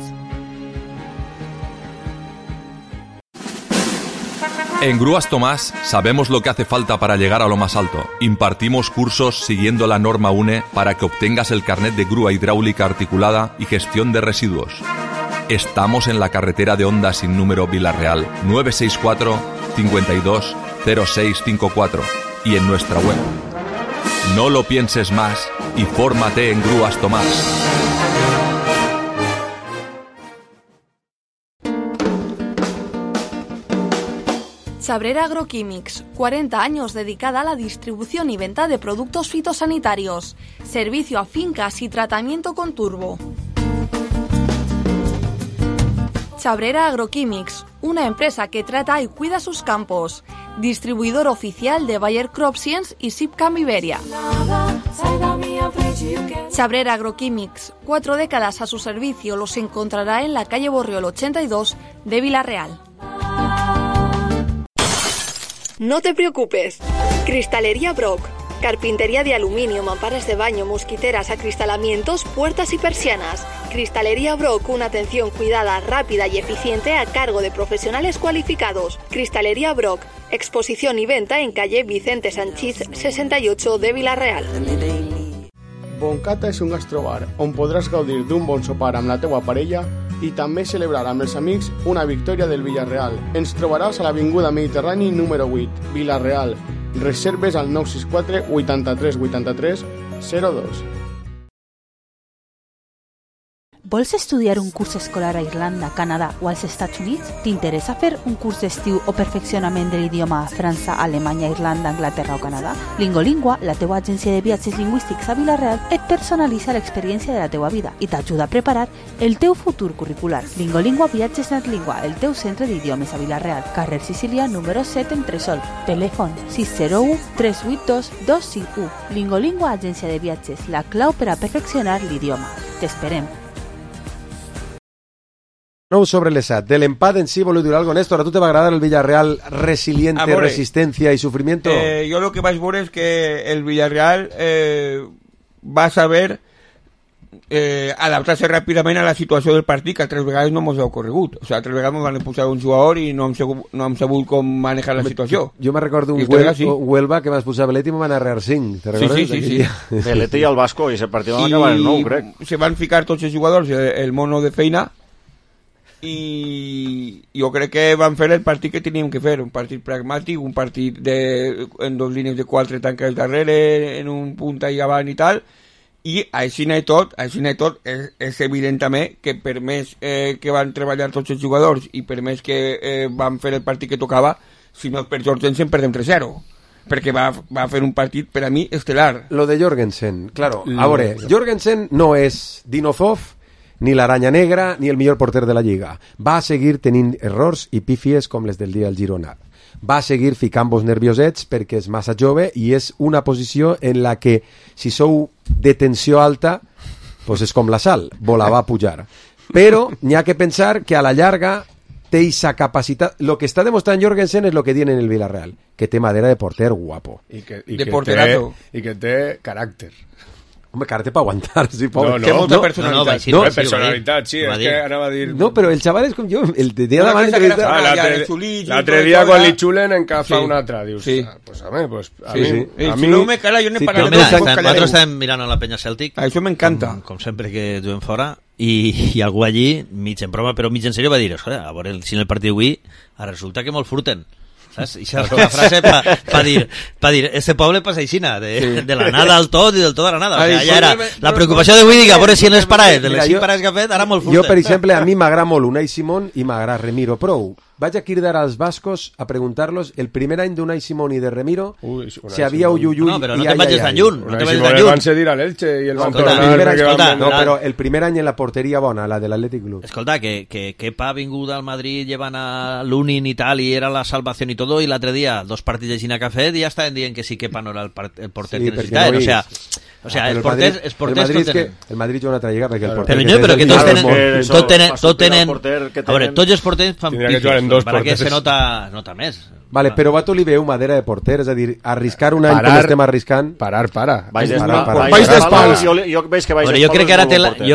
En Grúas Tomás sabemos lo que hace falta para llegar a lo más alto. Impartimos cursos siguiendo la norma UNE para que obtengas el carnet de grúa hidráulica articulada y gestión de residuos. Estamos en la carretera de Honda sin número Villarreal, 964 52 0654 y en nuestra web. No lo pienses más y fórmate en Grúas Tomás. Chabrera Agroquímics, 40 años dedicada a la distribución y venta de productos fitosanitarios, servicio a fincas y tratamiento con turbo. Chabrera Agroquímics, una empresa que trata y cuida sus campos, distribuidor oficial de Bayer Crop Science y Sipcam Iberia. Chabrera Agroquímics, 4 décadas a su servicio, los encontrará en la calle Borriol 82 de Villarreal. No te preocupes. Cristalería Brock. Carpintería de aluminio, mamparas de baño, mosquiteras, acristalamientos, puertas y persianas. Cristalería Brock, una atención cuidada, rápida y eficiente a cargo de profesionales cualificados. Cristalería Brock, exposición y venta en calle Vicente Sanchís 68 de Villarreal. Boncata és un gastrobar on podràs gaudir d'un bon sopar amb la teua parella i també celebrar amb els amics una victòria del Villarreal. Ens trobaràs a l'Avinguda Mediterrani número 8, Villarreal. Reserves al 964 83 83 02. Vols estudiar un curs escolar a Irlanda, Canadà o als Estats Units? T'interessa fer un curs d'estiu o perfeccionament de l'idioma a França, Alemanya, Irlanda, Anglaterra o Canadà? Lingolingua, la teua agència de viatges lingüístics a Vila-real, et personalitza l'experiència de la teua vida i t'ajuda a preparar el teu futur curricular. Lingolingua Viatges Natlingua, el teu centre d'idiomes a Vila-real, carrer Sicília número 7 en Tresol. Telèfon 601 382 251. Lingolingua Agència de Viatges, la clau per a perfeccionar l'idioma. T'esperem. 9 sobre les 7. Del empat en sí, voleu dir algo, Néstor? ¿A tu te va a agradar el Villarreal resiliente, resistencia y sufrimiento? Yo lo que más bueno es que el Villarreal va a saber adaptar-se ràpidament a la situació del partit, que 3 vegades no ens ha ocorregut. O sea, 3 vegades ens van posar un jugador i no hem sabut com manejar la situació. Jo me recordo un Huelva que vas posar Belet i me van arrear 5. ¿Te recordes? Sí. Belet i el Vasco, i ese partit van acabar el 9, crec. Se van ficar tots els jugadors el mono de feina i jo crec que van fer el partit que teníem que fer, un partit pragmàtic, un partit en 2 línies de 4 tanques darrere, en un punt allà avant i tal, i així i tot és evident també que per més que van treballar tots els jugadors i per més que van fer el partit que tocava, si no per Jorgensen perdem 3-0, perquè va fer un partit per a mi estel·lar. Lo de Jorgensen, claro, a veure, Jorgensen no és Dinozov ni l'Aranya Negra, ni el millor porter de la Lliga. Va a seguir tenint errors i pífies com les del dia del Girona. Va a seguir ficant-vos nerviosets perquè és massa jove i és una posició en la que, si sou de tensió alta, pues és com la sal, volava a pujar. Però n'hi ha que pensar que a la llarga té esa capacitat. Lo que està demostrant Jorgensen és lo que tiene en el Villarreal, que té madera de porter guapo. I que té caràcter. Home, caràcter per aguantar, sí, pobre. Té molta personalitat. No, personalitat, sí, és que anava a dir... No, però el xaval és com jo, el dia d'abans... L'altre dia quan li xulen encafa un altre, dius, pues a mi no me cala, jo n'he parlat. Nosaltres estem mirant a la penya Celtic. Això m'encanta. Com sempre que juguem fora, i algú allí, mig en broma, però mig en sèrio, va dir, a veure, si en el partit d'avui resulta que molt furten. ¿sabes? Y esa es la frase para dir, este poble pasa aixina, de la nada al tot i del tot a la nada. O sea, ja era la preocupació de Widi, que a veure si en les parades, de les 5 parades que ha fet, ara molt furten. Jo, per exemple, a mi m'agrada molt Unai Simón i m'agrada Remiro prou. Vaig a cridar als bascos a preguntar-los el primer any d'Unai Simón i de Remiro si havia uyuyuy. No, però no te vagis tan lluny. Unai Simón el van cedir a l'Elche i el van tornar. No, però el primer any en la porteria bona, la de l'Atlètic Club. Escolta, que Kepa ha vingut al Madrid, llevan a Lunin i tal, i era la salvación i todo, i l'altre dia, 2 partits de Gina que ha fet, i ja estaven dient que sí, Kepa no era el porter que necessitaven. O sea, els porters el Madrid juga una altra lliga perquè el porter... Però que tots tenen... A veure, tots els porters fan pifes, perquè se nota més. Vale, però a tu li veu madera de porter, és a dir, arriscar un any com estem arriscant... Parar. Baix d'espals. Jo veig que baix d'espals. Jo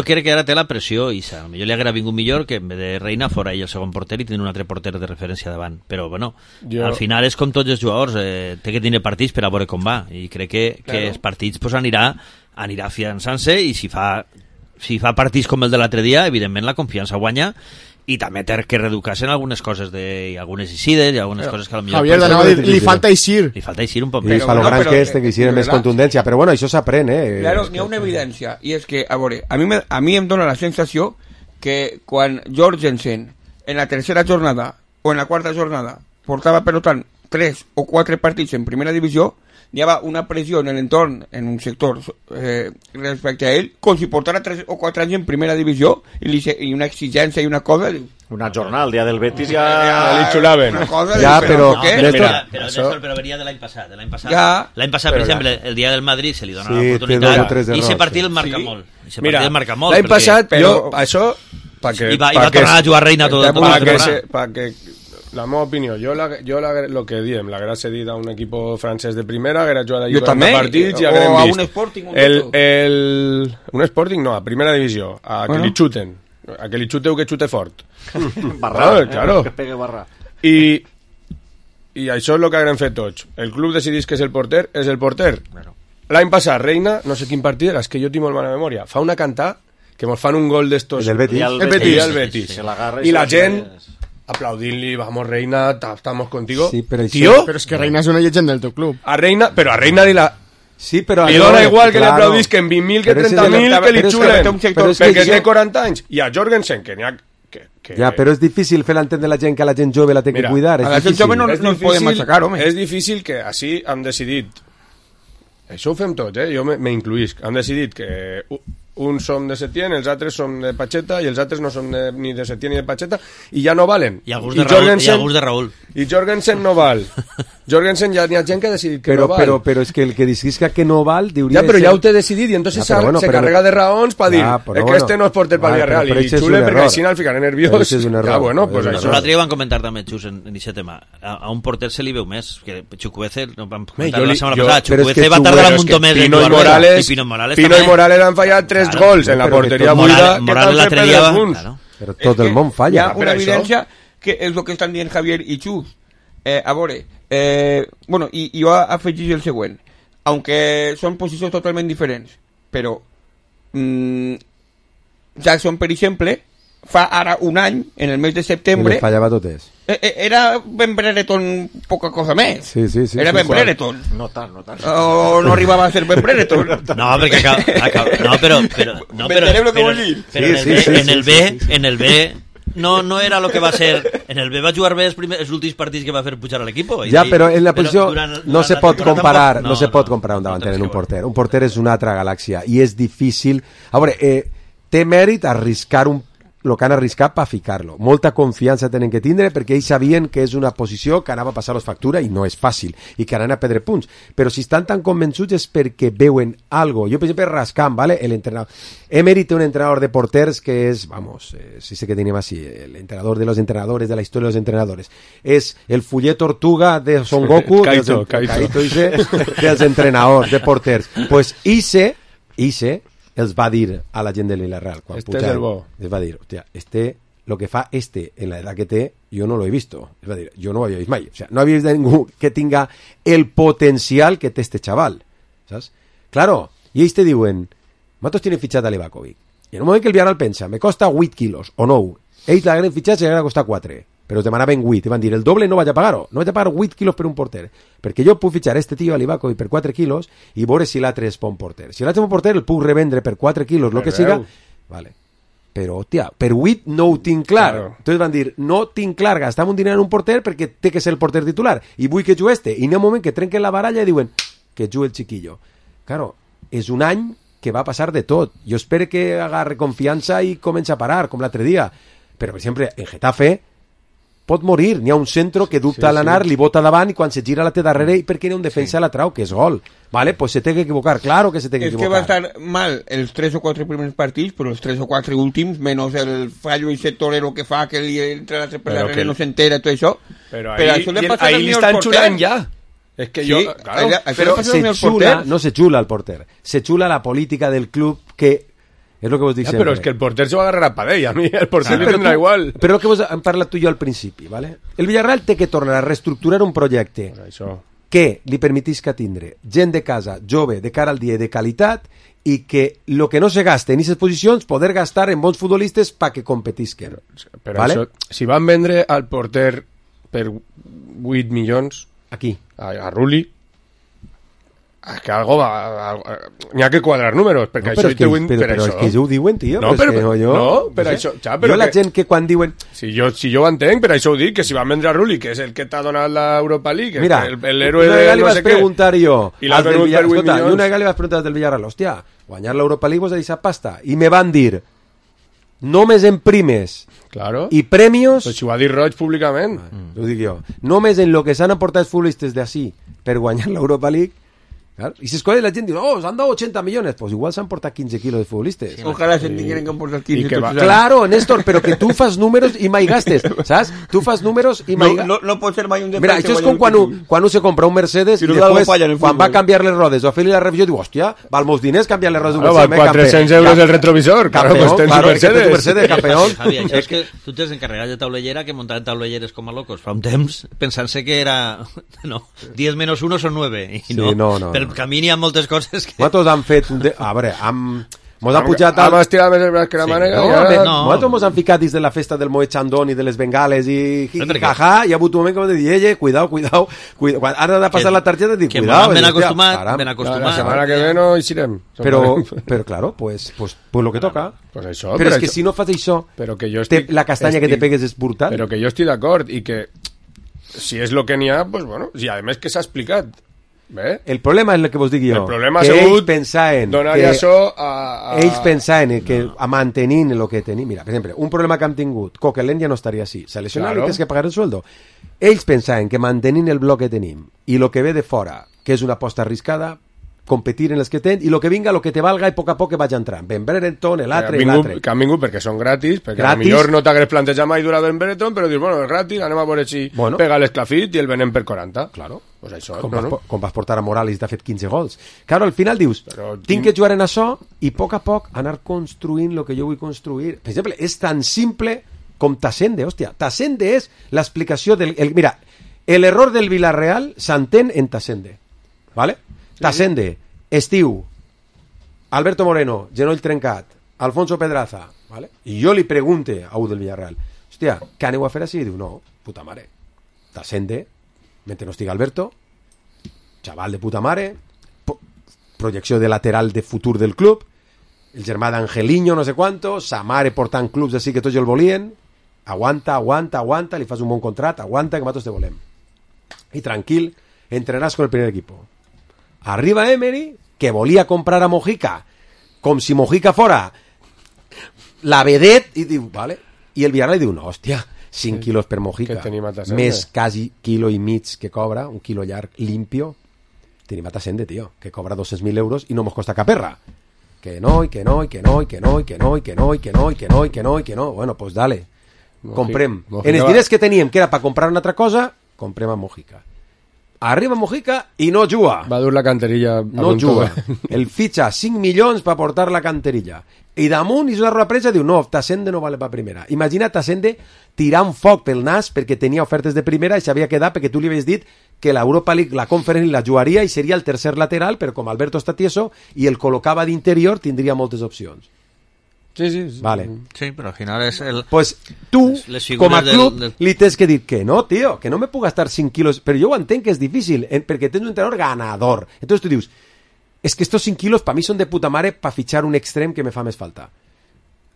crec que ara té la pressió, i jo li haguera vingut millor que en vez de Reina fora ell el segon porter i tenir un altre porter de referència davant. Però, bueno, al final és com tots els jugadors, té que tenir partits per a veure com va, i crec que els partits pues, anirà afiançant-se, i si fa partits com el de l'altre dia, evidentment la confiança guanya, i també té que reeducar-se en algunes coses i algunes eixides i algunes coses que potser... Javier, li falta eixir. Li falta eixir un poc més. I fa lo gran que té que eixir amb més contundència, però bueno, això s'aprèn, Claro, n'hi ha una evidència, i és que, a veure, a mi em dóna la sensació que quan Jorgensen en la tercera jornada o en la quarta jornada portava pelotant 3 o 4 partits en primera divisió, hi havia una pressió en l'entorn, en un sector respecte a ell, com si portara 3 o 4 anys en primera divisió i una exigència i una cosa... Una jornada, el dia del Betis ja li xulaven. Però venia de l'any passat. L'any passat, per exemple, el dia del Madrid se li dona l'oportunitat i ese partit el marca molt. L'any passat, això... I va tornar a jugar Reina tota la temporada. La meva opinió, jo lo que diem, l'haguera cedit a un equip francès de primera, haguera jugat allà 40 partits i haguerem vist. O a un Sporting. Un Sporting no, a primera divisió, a que li xuten. A que li xuteu que xute fort. Barra, claro. Que pegue barra. I això és el que haguem fet tots. El club decidís que és el porter, l'any passat, Reina, no sé quin partit era, és que jo tinc molt mala memòria, fa una cantada que mos fan un gol d'estos... El Betis. El Betis. I la gent aplaudint-li, vamos Reina, estamos contigo. Sí, però Tío, Però és que Reina és una llegenda del teu club. a Reina li Sí, però... li dona igual que li aplaudís que en 20.000 que 30.000 que li xulen, perquè té 40 anys. I a Jorgensen, que n'hi ha... Ja, però és difícil fer l'entendre la gent que la gent jove la té que cuidar. A la gent jove no ens podem machacar, home. És difícil que així han decidit... Això ho fem tots, jo m'incluïsc. Han decidit que uns som de Setién, els altres som de Pacheta i els altres no som ni de Setién ni de Pacheta i ja no valen. I a gust de Raúl. I Jorgensen no val. Jorgensen ja n'hi ha gent que ha decidit que no val. Però és que el que decidisca que no val diuria... Ja, però ja ho té decidit i entonces se carrega de raons per dir que este no es porter per Villarreal i xule perquè així al ficar nerviós. Ja, bueno, pues això. L'altre dia van comentar també, Xus, en aquest tema. A un porter se li veu més, que Chukwueze, vam comentar la setmana passada, Chukwueze va tardar un munt més Pino i Morales han fallat 3 gols en la porteria buida que t'han fet perdre punts. Però tot el món falla. Hi ha una evidència que és el que estan dient Javier i Xus. A veure, bueno, i jo afegís el següent. Aunque són posicions totalment diferents, però Jackson, per exemple, fa ara un any, en el mes de setembre... I li fallava totes. Era Ben Brereton poca cosa més. Sí. Era Ben Brereton. No tant. O no arribava a ser Ben Brereton. No, perquè en el B no era lo que va ser. En el B va jugar bé els últims partits que va fer pujar a l'equip. Ja, però en la posició no se pot comparar un davanter en un porter. Un porter és una altra galàxia i és difícil. A veure, té mèrit arriscar el que han arriscat per ficar-lo. Molta confiança tenen que tindre perquè ells sabien que és una posició que anava a passar-los factura i no és fàcil, i que anaven a perdre punts. Però si estan tan convençuts és perquè veuen algo. Jo, per exemple, Rascam, ¿vale? El entrenador. Emery té un entrenador de porters que és, si sé que tenim així, el entrenador de los entrenadores, de la història de los entrenadores. És el fuller tortuga de Son Goku, Kaito dels entrenadors de porters. Pues Ise els va dir a la gent de Villarreal quan pujaven, els va dir, hòstia, lo que fa en la edad que té, jo no lo he visto. Es va dir, jo no ho havia vist mai. O sea, no havia vist ningú que tinga el potencial que té este chaval. ¿Sabes? Claro, i ells te diuen, nosaltres tienen fitxat a Livakovic. I en un moment que el Villarreal pensa, me costa 8 quilos, o no, ells l'hagueren fitxat i l'hagueren costat 4. Però te demanaven 8, i van dir, el doble no vaig a pagar-ho, no vaig a pagar 8 quilos per un porter, perquè jo puc fitxar este tio a Livakovic per 4 quilos i veure si l'altre és bon porter. Si l'altre és bon porter, el puc revendre per 4 quilos, el que siga, vale. Però, hòstia, per 8 no ho tinc clar. Claro. Entonces van dir, no tinc clar gastar un diner en un porter perquè té que ser el porter titular, i vull que jugui este, i n'hi ha un moment que trenquen la baralla i diuen, que jugui el chiquillo. Claro, és un any que va passar de tot. Jo espero que agarre confiança i comença a parar, com l'altre dia. Però, per exemple, en Getafe pot morir, n'hi ha un centro que dubta a l'anar, li bota davant i quan se gira la té darrere i perquè n'hi ha un defensa la trau, que és gol. Vale, pues se té que equivocar, claro que se té que equivocar. És que va estar mal els 3 o 4 primers partits, però els 3 o 4 últims, menys el fallo i set torero que fa, que li entra l'altre per darrere, no s'entera, tot això. Però ahí li estan xulant ja. És que jo... Claro, però no se xula el porter, se xula la política del club que... És el que vos dic sempre. Però és que el porter se va agarrar a Padell, a mi el porter li tindrà igual. Però el que vos hem parlat tu i jo al principi, ¿vale? El Villarreal té que tornar a reestructurar un projecte que li permetisca tindre gent de casa jove, de cara al dia i de qualitat, i que el que no se gaste en aquestes posicions poder gastar en bons futbolistes perquè competisquen. Però ¿vale? Això, si van vendre al porter per 8 milions aquí a Rulli, és que algo va... N'hi ha que quadrar números, perquè no, això... Però és que jo ho diuen, tio. No, per això... Jo la gent que quan diuen... Si jo ho entenc, per això ho dic, que si van vendre a Rulli, que és el que t'ha donat l'Europa League, mira, l'héroe de no sé què... preguntar jo... I l'ha venut per 8 milions... I una vegada li vas preguntar del Villarreal, hòstia, guanyar l'Europa League vos ha deixat pasta. I me van dir, només en primes i premios... Però si ho ha dit Roig públicament. Ho dic jo. Només en lo que s'han aportat els futbolistes d'ací per guanyar l'Europa League. Claro. Y si escoge la gente, se han dado 80 millones, pues igual se han portado 15 kilos de futbolistas. Sí, ojalá se tinguen que portar 15. Claro, Néstor, pero que tú fas números y mai gastes, ¿sabes? Tú fas números y mai gastes. No pot ser mai un defensa. Mira, això és com quan un se compra un Mercedes i després, quan va canviar les rodes o a fer-li la revisió, diu, hòstia, val molts diners canviar les rodes d'un Mercedes. Val 400 euros el retrovisor, claro, pues tens un Mercedes, campeón. Javi, això és que tu tens encarregat de taulellera que muntaven taulelleres com a locos fa un temps, pensant-se que era, 10 menos 1 son 9, i no, per camí hi ha moltes coses que... Nosaltres hem fet... A veure, mos ha pujat... Hem estirat més el braç que la mànega. Nosaltres mos han ficat dins de la festa del Moet Chandon i de les bengales i jaja, i ha hagut un moment que m'ha dit, cuidao. Quan ara de passar la targeta, dic, cuidao. Ben acostumat. La setmana que ve no hi serem. Però claro, pues lo que toca. Pues això, però és que si no fas això, la castanya que te pegues és brutal. Però que jo estic d'acord i que si és el que n'hi ha, pues bueno, i a més que s'ha explicat. Bé. El problema és el que vos dic jo. El problema que ha sigut ells pensaven donar-hi això a... Ells pensaven que a mantenint el que tenim... Mira, per exemple, un problema que hem tingut, Coquelin ja no estaria així, se lesiona i tens que pagar el sueldo. Ells pensaven que mantenint el bloc que tenim i el que ve de fora, que és una aposta arriscada, competir en els que tenen, i el que vinga, el que te valga, i a poc que vaig entrant. Ben Brereton, l'altre i l'altre. Que han vingut perquè són gratis, perquè millor no t'hagués plantejat mai durar Ben Brereton, però dius, bueno, és gratis, anem a veure si pega l'esclafit i el venem per 40. Claro. Pues això, com vas portar a Morales i t'ha fet 15 gols. Claro, al final dius, tinc que jugar en això i a poc anar construint el que jo vull construir. Per exemple, és tan simple com Tassende, hòstia. Tassende és l'explicació del... Mira, l'error del Villarreal s'entén en Tassende, ¿vale? Tassende, estiu, Alberto Moreno, genoll trencat, Alfonso Pedraza, ¿vale? I jo li pregunte a un del Villarreal, hòstia, què aneu a fer així? I diu, no, puta mare, Tassende, mentre no estigui Alberto, xaval de puta mare, projecció de lateral de futur del club, el germà d'Angelino, no sé quanto, sa mare portant clubs així que tots el volien, aguanta, li fas un bon contrat, aguanta, que nosaltres te volem. I tranquil, entrenaràs con el primer equipo. Arriba Emery, que volia comprar a Mojica, com si Mojica fora la vedet, i diu, vale. I el Villarreal diu, no, hòstia, 5 quilos per Mojica, més quasi quilo i mig que cobra, un quilo llarg, limpio. Tenim a Tassende, tio, que cobra 200.000 euros i no mos costa caperra. Que no. Bueno, pues dale. Comprem. En els diners que teníem, que era per comprar una altra cosa, comprem a Mojica. Arriba Mojica i no juga. Va dur la canterilla. No juga. El fitxa 5 milions per portar la canterilla. I damunt és una roda premsa i diu, no, Tassende no vale per primera. Imagina Tassende tirant foc pel nas perquè tenia ofertes de primera i s'havia quedat perquè tu li havies dit que l'Europa League, la Conference la jugaria i seria el tercer lateral, però com Alberto està tieso i el col·locava d'interior tindria moltes opcions. Sí. Vale. Sí, però al final és el... Pues tu, com a club, li tens que dir que no, tio, que no me puc gastar 5 quilos, però jo ho entenc que és difícil, perquè tens un entrenador ganador. Entonces tu dius, es que estos 5 kilos para mí son de puta madre para fichar un extrem que me fa més falta.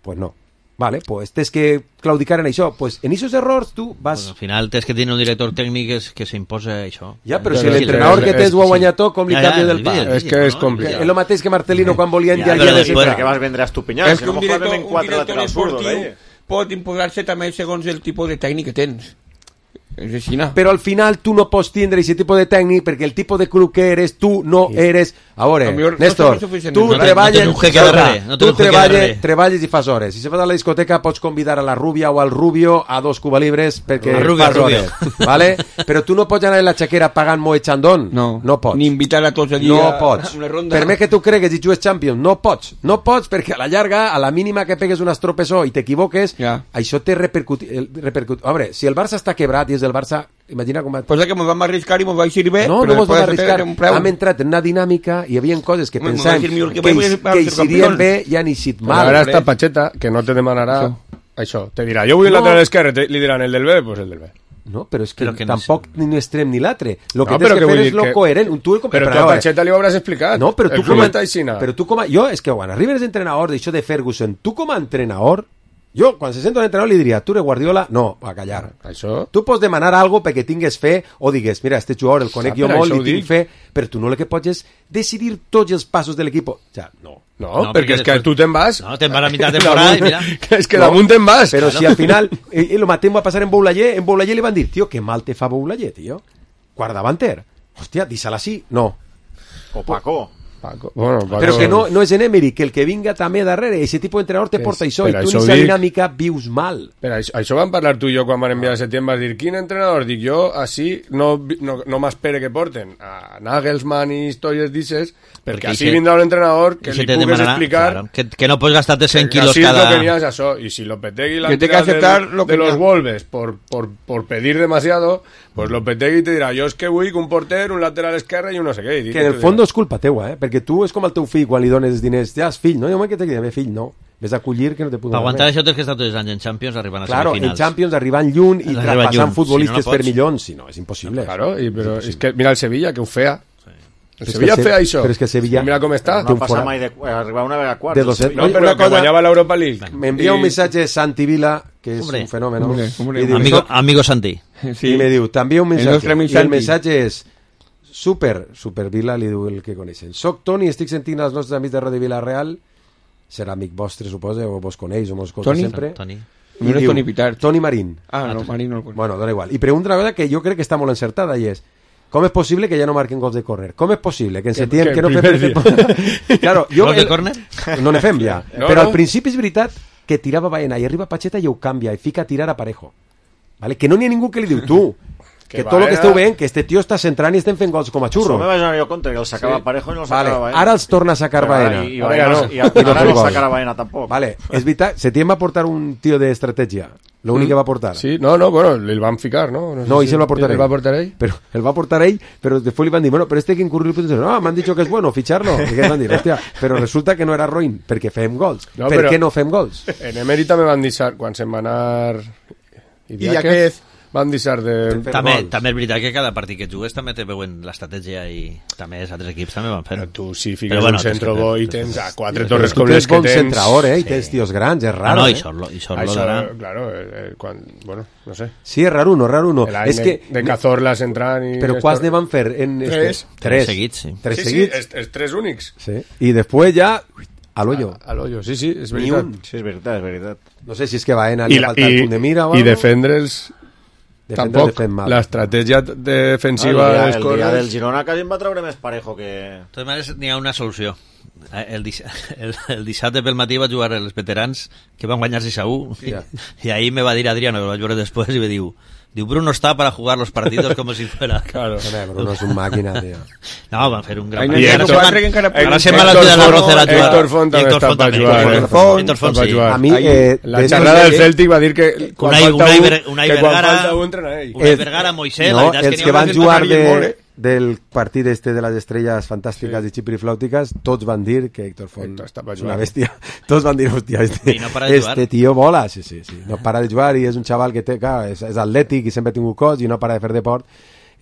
Pues no. Vale, pues tens que claudicar en això. Pues en esos errors tu vas... Pues al final tens que tenir un director tècnic que s'imposa això. Ja, però si l'entrenador que tens ho ha guanyat tot, com li canvia del pa? És que és complicat. És el mateix que Marcelino quan volien ja de centre. Que vas vendre a Estupinyà. És que un director esportiu pot imposar-se també segons el tipus de tècnic que tens. És així, no? Però al final tu no pots tindre aquest tipus de tècnic perquè el tipus de club que eres tu no eres... A veure, Néstor, tu treballes i fas hores. Si se vas a la discoteca pots convidar a la rubia o al rubio a 2 cubalibres perquè fas hores, ¿vale? Però tu no pots anar a la xaquera pagant Moet Chandon. No pots. Ni invitar a tots allí a una ronda. Per més que tu cregues i jugues Champions, no pots perquè a la llarga, a la mínima que pegues un estropesó i t'equivoques, això té repercutit. A veure, si el Barça està quebrat i és el Barça, imagina com va... Pues que mos vam arriscar i mos va eixir bé. No mos vam arriscar. Hem entrat en una dinàmica i hi havia coses que pensàvem que eixirien bé i han eixit mal. Ara està Pacheta, que no te demanarà això. Te dirà, jo vull el lateral esquerre, li diran el del B, pues el del B. No, però és que tampoc ni un extrem ni l'altre. Lo que tens que fer és lo coherent. Però tu a Pacheta li ho hauràs explicat. No, però tu com a... Jo, és que quan arribes d'entrenador d'això de Ferguson, tu com a entrenador... Jo, quan se sento un entrenador, li diria, tu eres Guardiola? No, a callar. Això? Tu pots demanar algo perquè tingues fe o digues, mira, este jugador el conec jo molt i tinc fe, però tu no el que pots és decidir tots els passos de l'equip. O sea, no, perquè és que tu te'n vas. No, te'n vas a mitjà de temporada i mira. És que damunt te'n vas. Però si al final, el mateix va passar en Boulaye li van dir, tio, que mal te fa Boulaye, tio. Guardavanter. Hòstia, dísala així. No. O Paco. Bueno, però que no és en Emery, que el que vinga també darrere, aquest tipus d'entrenador te porta això i tu en aquesta dinàmica vius mal. Però això vam parlar tu i jo quan van enviar a setembre, vas dir, quin entrenador? Dic jo, així no m'espere que porten a Nagelsmann i històries d'ixes, perquè així vindrà un entrenador que li pugues explicar que no pots gastar-te 100 quilos cada... Que así es lo que tenías això, y si Lopetegui la de los Wolves por pedir demasiado, Pues Lopetegui te dirà, jo és que vull que un porter, un lateral esquerre i un no sé què. Que en el fons és culpa teua, perquè tu és com el teu fill quan li dones diners, ja és fill, no? Jo m'he que te diré, fill, no. Ves a collir que no te puc donar. Per aguantar això tens que estar tots els anys en Champions arribant a semifinals. Claro, en Champions arribant lluny i traspassant futbolistes per milions, si no, és impossible. Claro, però és que mira el Sevilla, que ho feia. El Sevilla feia això. Però és que Sevilla... Mira com està. No passa mai d'arribar una vegada a quarts. No, però que guanyava l'Europa League. M'envia un missatge Santi Vila, que és un fenomen. Amigo Santi. I me diu, t'envia un missatge. I el missatge és super Vila, li diu el que coneixen. Soc Toni, estic sentint els nostres amics de Ràdio Vila-real. Serà amic vostre, suposa, o vos coneix, o mos escolta sempre. Toni. No és Toni Pitart. Toni Marín. No, Marín no el coneix. Bueno, dona igual. I pregunta una cosa que jo crec que està molt encertada, i és, com és possible que ja no marquen gols de córner? Com és possible que en setembre... Que no fem... Claro, gols de córner? No ne fem ja. Però al principi és veritat que tirava Baena i arriba Pacheta i ho canvia i fica a tirar a Parejo. ¿Vale? Que no n'hi ha ningú que li diu, tu... Que tot el que esteu veient, que este tio està centrant i estem fent gols com a xurro. Això me vaig anar jo compte, que el sacava Parejo i no el sacava Baena. Ara els torna a sacar Baena. I ara no sacarà Baena tampoc. Vale, és veritat, Setién va portar un tio d'estratègia. L'únic que va portar. Sí, no, bueno, el van ficar, ¿no? No, i se el va portar ell. ¿El va portar ell? Pero el va portar ell, pero después le van a decir, bueno, pero este que incurrió, no, me han dicho que es bueno, ficharlo. I que van dir, hòstia, però resulta que no era ruïn, perquè fem gols. No, per què no fem gols? En Emèrita me van deixar, quan se'n va anar... I aquest... van deixar de... També és veritat que cada partit que jugues també te veuen l'estratègia i també els altres equips també van fer. Però tu si fiques un centre bo i tens a 4 torres com les que tens... Tu ets bon centrador, i tens tios grans, és raro. No, i sort lo darà. Claro, bueno, no sé. Sí, és raro, no. És que... De Cazorlas entrant i... Però quants ne van fer? Tres seguits, sí. Tres seguits? Sí, els tres únics. Sí, i després ja... A l'hoyo. A l'hoyo, sí, és veritat. Sí, és veritat. No sé si és que Baena li ha faltat punt de mira o algo. I defendre'ls... Tampoc, l'estratègia defensiva el dia del Girona quasi em va treure més Parejo que... De totes maneres, n'hi ha una solució. El dissabte pel matí va jugar els veterans que van guanyar 6-1 i ahir me va dir Adriano, que el vaig veure després, i me diu Bruno está para jugar los partidos como si fuera... Claro. Bruno és un màquina, tío. No, van fer un gran... Ara se'n va la ciutat de la Rocera a jugar. Héctor Font també està per jugar. Héctor Font, sí. A mi, la xerrada del Celtic va dir que quan falta un entrena ell. Unai Vergara, Moisés... No, els que van jugar del partit este de les estrelles fantàstiques i xipiriflàutiques, tots van dir que Héctor Font és una bèstia. Tots van dir, hòstia, este tio vola. Sí. No para de jugar i és un xaval que és atlètic i sempre ha tingut cos i no para de fer deport,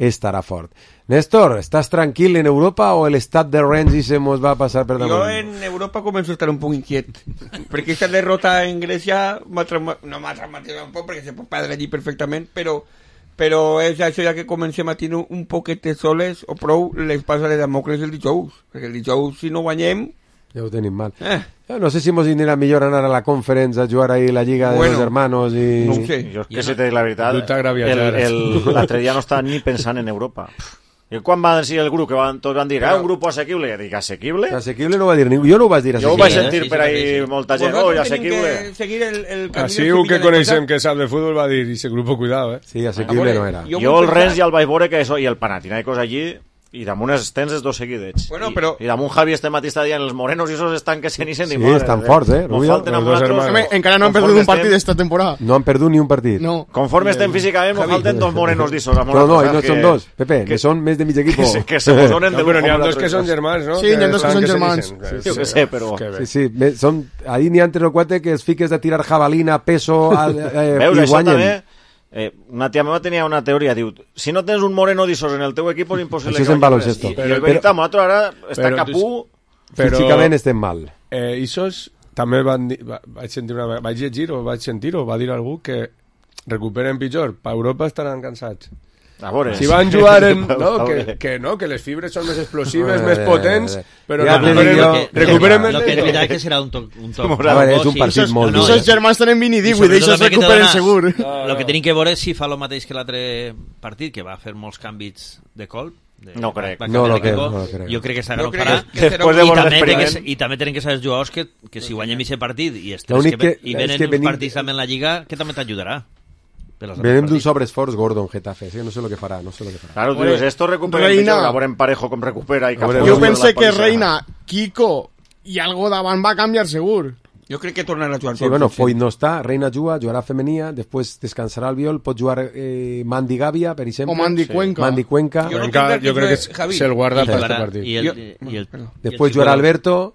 estarà fort. Néstor, ¿estás tranquil en Europa o el estat de Renzi se nos va a pasar per damunt? Jo en Europa començo a estar un poc inquiet, perquè aquesta derrota en Grècia no m'ha traumatizat un poc, perquè se pot perdre allí perfectament, però és això ja que comencem a tenir un poquet de soles o prou les passa de Damocles el dijous, perquè el dijous si no guanyem ja ho tenim mal. No sé si mos anirà millor anar a la Conference a jugar ahí la Lliga de los Hermanos i... No ho sé. Jo que si te dic la veritat, l'altre dia no estava ni pensant en Europa. I quan va dir el grup, que tots van dir un grup assequible, dic, assequible? Assequible no va dir ningú, jo no ho vaig dir assequible. Jo ho vaig sentir per ahí molta gent, assequible. Així un que coneixem que sap de futbol va dir, ese grupo cuidado, Sí, assequible no era. Jo el Rennes ja el vaig veure que això, i el Panathinaikos allí, i damunt tens els dos seguidets. Bueno, però... I damunt Javi este matí està dient els morenos i esos estan que se ni sent. Sí, estan forts, Rubio. Encara no han perdut un partit esta temporada. No han perdut ni un partit. No. Conforme estem físicament, nos falten dos morenos d'issos. No, i no són dos, Pepe, que són més de mig equip. Que se posonen de però n'hi ha dos que són germans, no? Sí, n'hi ha dos que són germans. Jo què sé, però... Sí, ahí n'hi ha 3 o 4 que es fiques de tirar jabalina, peso i guanyen. Una tia meva tenia una teoria, diu, si no tens un moreno d'issos en el teu equip és impossible que guanyis. I el veritat, nosaltres ara està capú... Físicament estem mal. Issos també vaig llegir o vaig sentir o va dir algú que recuperen pitjor, per Europa estaran cansats. Si van jugar en... que les fibres són més explosives, més potents, però recuperen... Lo que és veritat que serà un toc... És un partit molt dur. Esos germans tenen 20 i 18, d'això es recuperen segur. Lo que tenim que veure és si fa el mateix que l'altre partit, que va fer molts canvis de colp. No crec. No crec. Jo crec que s'ha no farà. I també tenen que saber els jugadors que si guanyem aquest partit i venen uns partits també en la Lliga, que també t'ajudarà. Venem d'un sobreesforç Gordon Getafe, no sé lo que farà. Claro, tu dius, esto recupera pitjor, a veure en Parejo com recupera. Jo pensé que Reina, Kiko i algo davant va canviar segur. Jo crec que tornarà a jugar. Sí, bueno, Foyt no està, Reina jugarà femenia, després descansarà el Viol, pot jugar Mandy Gavia, per exemple. O Mandy Cuenca. Mandy Cuenca. Jo crec que se'l guarda per aquest partit. Després jugarà Alberto,